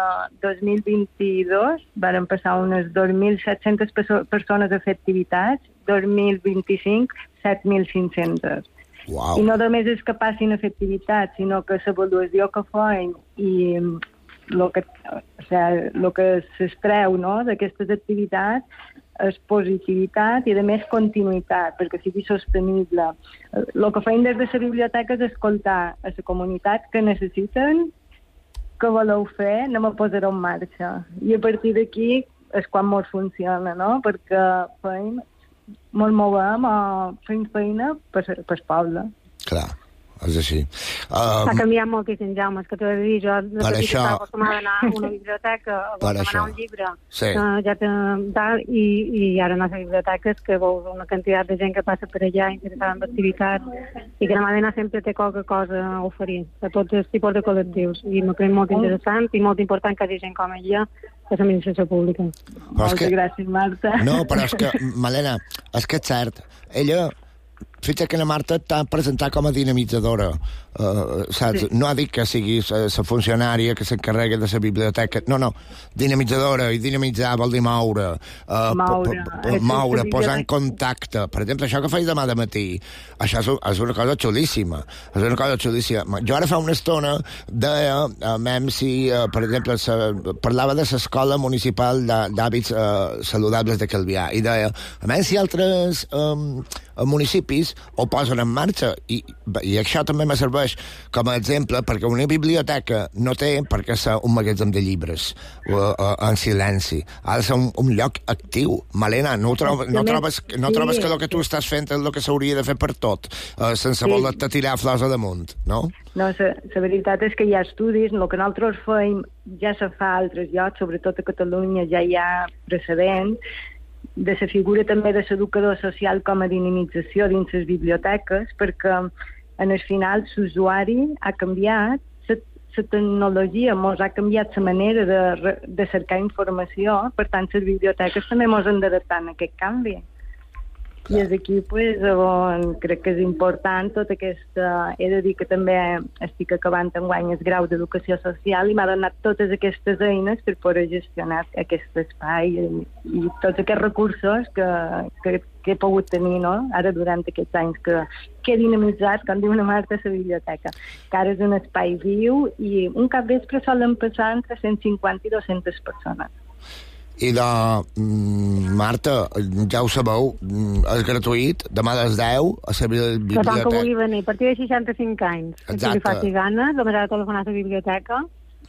dos mil vint-i-dos, varen passar unes dos mil set-centes perso persones a fer activitats, dos mil vint-i-cinc, set mil cinc-centes. Wow. I no només és que passin a fer activitats, sinó que l'avaluació que feien i el que, o sigui, lo que s'extreu, no, d'aquestes activitats és positivitat i, a més, continuïtat, perquè sigui sostenible. El que feien des de la biblioteca és escoltar a la comunitat que necessiten, que voleu fer, anem a posar-ho en marxa. I a partir d'aquí és quan molt funciona, no? Perquè feim, molt movem o fem feina per el poble. Clar, és així. S'ha Um, canviat moltíssim, Jaume, és que t'ho he de dir, jo de Per petita això- estava acostumada a anar a una biblioteca, a Per demanar això. un llibre, Sí. uh, ja te, tal, i, i ara anar a les biblioteques que veus una quantitat de gent que passa per allà interessada en activitats i que la Malena sempre té qualque cosa a oferir a tots els tipus de col·lectius i m'ho crec molt interessant i molt important que hi hagi gent com ella a l'administració pública. Però és que- gràcies, Marta. No, però és que, Malena, és que és cert. Ella, fixa't que la Marta t'ha presentat com a dinamitzadora. Uh, saps? Sí. No ha dit que siguis la funcionària que s'encarrega de la biblioteca. No, no, dinamitzadora, i dinamitzar vol dir moure. Uh, Moure. po, po, moure, posar en contacte. Per exemple, això que faig demà de matí, això és, és una cosa xulíssima. És una cosa xulíssima. Jo ara fa una estona deia, a mem si, uh, per exemple, sa, parlava de l'escola municipal d'hàbits uh, saludables de Calvià, i deia, a mem si altres um, municipis ho posen en marxa, i, i això també me serveix com a exemple, perquè una biblioteca no té per què ser un magatzem de llibres o, o, en silenci. Ha de ser un, un lloc actiu. Malena, no, trob, no, trobes, no Sí. trobes que el que tu estàs fent és el que s'hauria de fer per tot, uh, sense Sí. voler-te tirar flors a damunt, no? No, la veritat és que hi ha estudis, el que nosaltres feim ja se fa a altres llocs, sobretot a Catalunya ja hi ha precedents, de la figura també de l'educador social com a dinamització dins les biblioteques, perquè en el final l'usuari ha canviat, la tecnologia mos ha canviat la manera de, re- de cercar informació, per tant les biblioteques també mos han d'adaptar a aquest canvi. I és aquí pues, on crec que és important tota aquesta... He de dir que també estic acabant enguany el grau d'Educació Social i m'ha donat totes aquestes eines per poder gestionar aquest espai i, i tots aquests recursos que, que, que he pogut tenir, no? Ara durant aquests anys que, que dinamitzat, com diu una Marta, la biblioteca, que ara és un espai viu i un capvespre solen passar entre cent cinquanta i dues-centes persones. I de... Marta, ja ho sabeu, és gratuït, demà a les deu, a la biblioteca. Tothom que vulgui venir, a partir de seixanta-cinc anys. Exacte. Que li faci ganes, només ha de telefonar a la biblioteca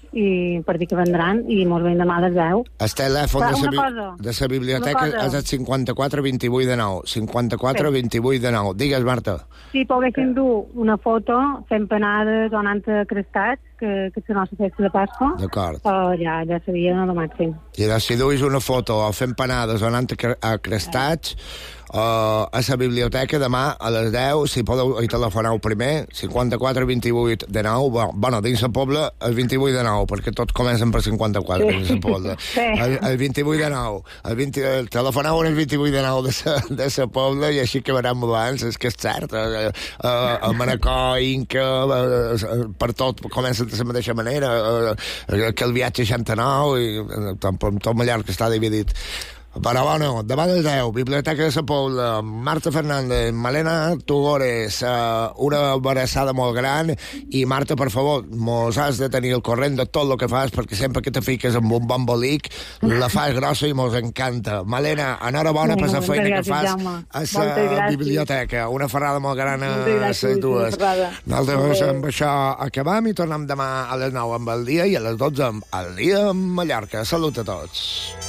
i per dir que vendran i mos ven demà a les deu. El telèfon de la de la biblioteca és el cinquanta-quatre vint-i-vuit de nou. cinquanta-quatre vint-i-vuit de nou. Digues, Marta. Si poguessin dur una foto fent panades o anant a crestats, que, que és la nostra festa de Pasqua, d'acord, oh, ja, ja seria el màxim. I si duis una foto o fent panades o anant a crestats, Uh, a la biblioteca demà a les deu, si podeu hi telefoneu primer, cinquanta-quatre vint-i-vuit de nou, bueno, dins la Pobla el vint-i-vuit de nou, perquè tots comencen per cinquanta-quatre sí. Dins la Pobla, sí. el, el vint-i-vuit de nou, el vint, el, telefoneu el vint-i-vuit de nou de la, de la Pobla i així que veurem abans, és que és cert, uh, uh, el Manacor, Inca, uh, per tot comença de la mateixa manera, uh, que el viatge seixanta-nou, i uh, tot, tot Mallorca està dividit. Però bueno, demà a les deu, Biblioteca de la Pobla, Marta Fernández, Malena Tugores, uh, una abraçada molt gran, i Marta, per favor, mos has de tenir el corrent de tot el que fas, perquè sempre que te fiques amb un bon bolic, la fas grossa i mos encanta. Malena, enhorabona per la feina que fas a la biblioteca. Una ferrada molt gran a les dues. Nosaltres amb això acabam i tornem demà a les nou amb el dia i a les dotze amb el dia amb Mallorca. Salut a tots.